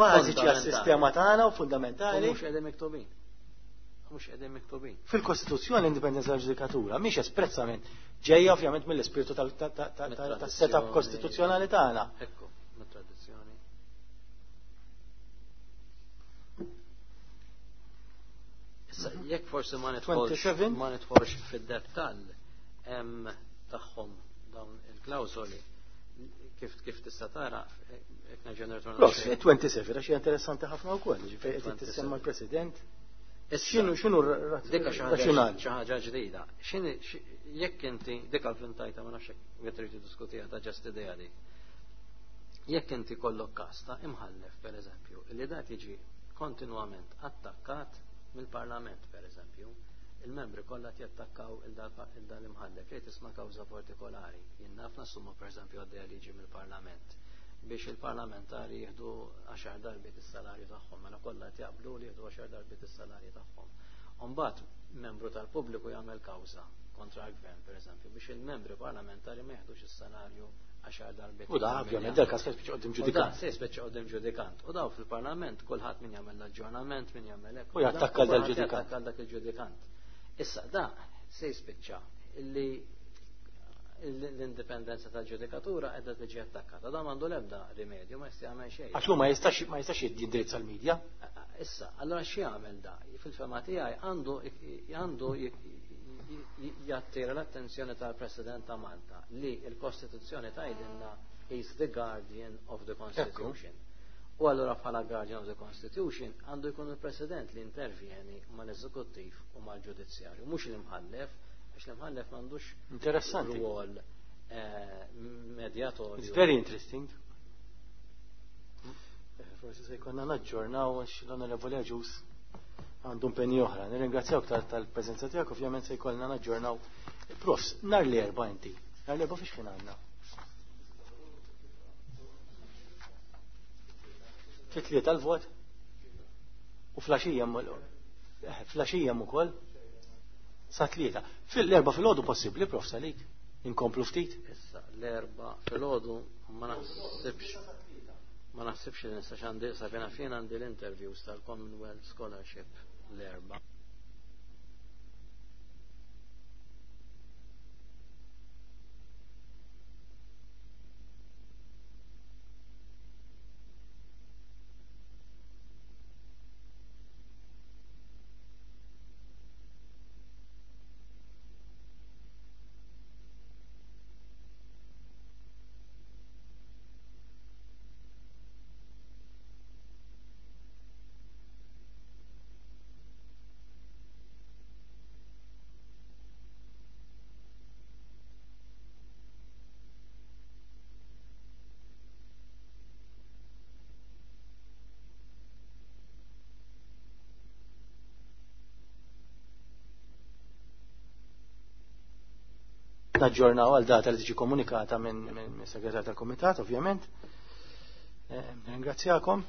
bażiċi għas-sistema tagħna u fundamentali. U mhux qegħdin miktubin. Mhux qegħdin miktubin. Fil-Kostituzzjoni l-indipendenza tal-ġudikatura mhix espressament ġejja ovvjament mill-ispirtu tas-setup kostituzzjonali tagħna. Ekku, mit-tradizzjoni. Issa jekk forsi ma nidħolx fid-dettall hemm tagħhom dawn il-klawżoli kif tista' tara jekk nerġa' nirtorna. Prof, 27 għax hija interessanti ħafna wkoll, ġifieri qed tissemma l-President. X'inhu razzjonali? Xi ħaġa ġdida. Jekk inti dik għal-fintajta ma nafx hekk trid tiddiskutiha ta' ġest idea dik. Jekk inti kollok każ ta' imħallef pereżempju, li dat jiġi kontinwament attakkat mill-Parlament pereżempju, il-membri kollha jattakkaw il-dal imħallef li tisma' kawża partikolari. Jien naf nassumma pereżempju għaddejja liġi mill-Parlament biex il-parlamentari jieħdu 10 darbiet is-salarju tagħhom, mela kollha qed jaqblu li jieħdu 10 darbiet is-salarju tagħhom. Imbagħad membru tal-pubbliku jagħmel kawża kontra l-gvern pereżempju biex il-membri parlamentari ma jieħdux is-salarju għaxar darbiet. U da, ovvjament, dal-każ se jispiċċa quddiem ġudikant. Se jispiċċa quddiem ġudikant. U daw fil-Parlament kulħadd min jagħmel l-aġġornament, min jagħmel hekk. U jattakka dal-ġudikant. Jattakka dak il-ġudikant. Issa da se jispiċċa illi l-indipendenza tal-ġudikatura qiegħda tiġi attakkata. Da m'għandu l-ebda rimedju, ma jista' jagħmel xejn. Għax hu ma jistax ma jistax jindirizza l-medja. Issa, allora x'jagħmel da? Fil-fema tiegħi għandu għandu jattira l-attenzjoni tal-President ta' Malta li l-Kostituzzjoni tgħidilna is the guardian of the Constitution. U allura bħala guardian of the Constitution għandu jkun il-President li intervjeni mal-Eżekuttiv u mal-Ġudizzjarju, mhux l-imħallef, għax l-imħallef m'għandux Interessanti. rwol medjatorju. It's very interesting. Forsi se jkollna naġġornaw għax l-Onorevoli Agius għandu impenji oħra. Nirringrazzjawk tal-preżenza tiegħek, ovvjament se jkollna naġġornaw. Profs, nhar l-erba' inti. Nhar l-erba' fiex kien għandna? Fit-tlieta l-vot? U flaxija flaxija ukoll? Sa tlieta. Fil-erba' filgħodu possibbli, prof salik. Inkomplu ftit. Issa, l-erba' filgħodu ma naħsibx ma naħsibx li nista' għandi sabina fejn għandi l-interviews tal-Commonwealth Scholarship l-erba'. Naġġornaw għal data li tiġi komunikata minn segretar tal-Kumitat, ovvjament. Ringrazzjakom.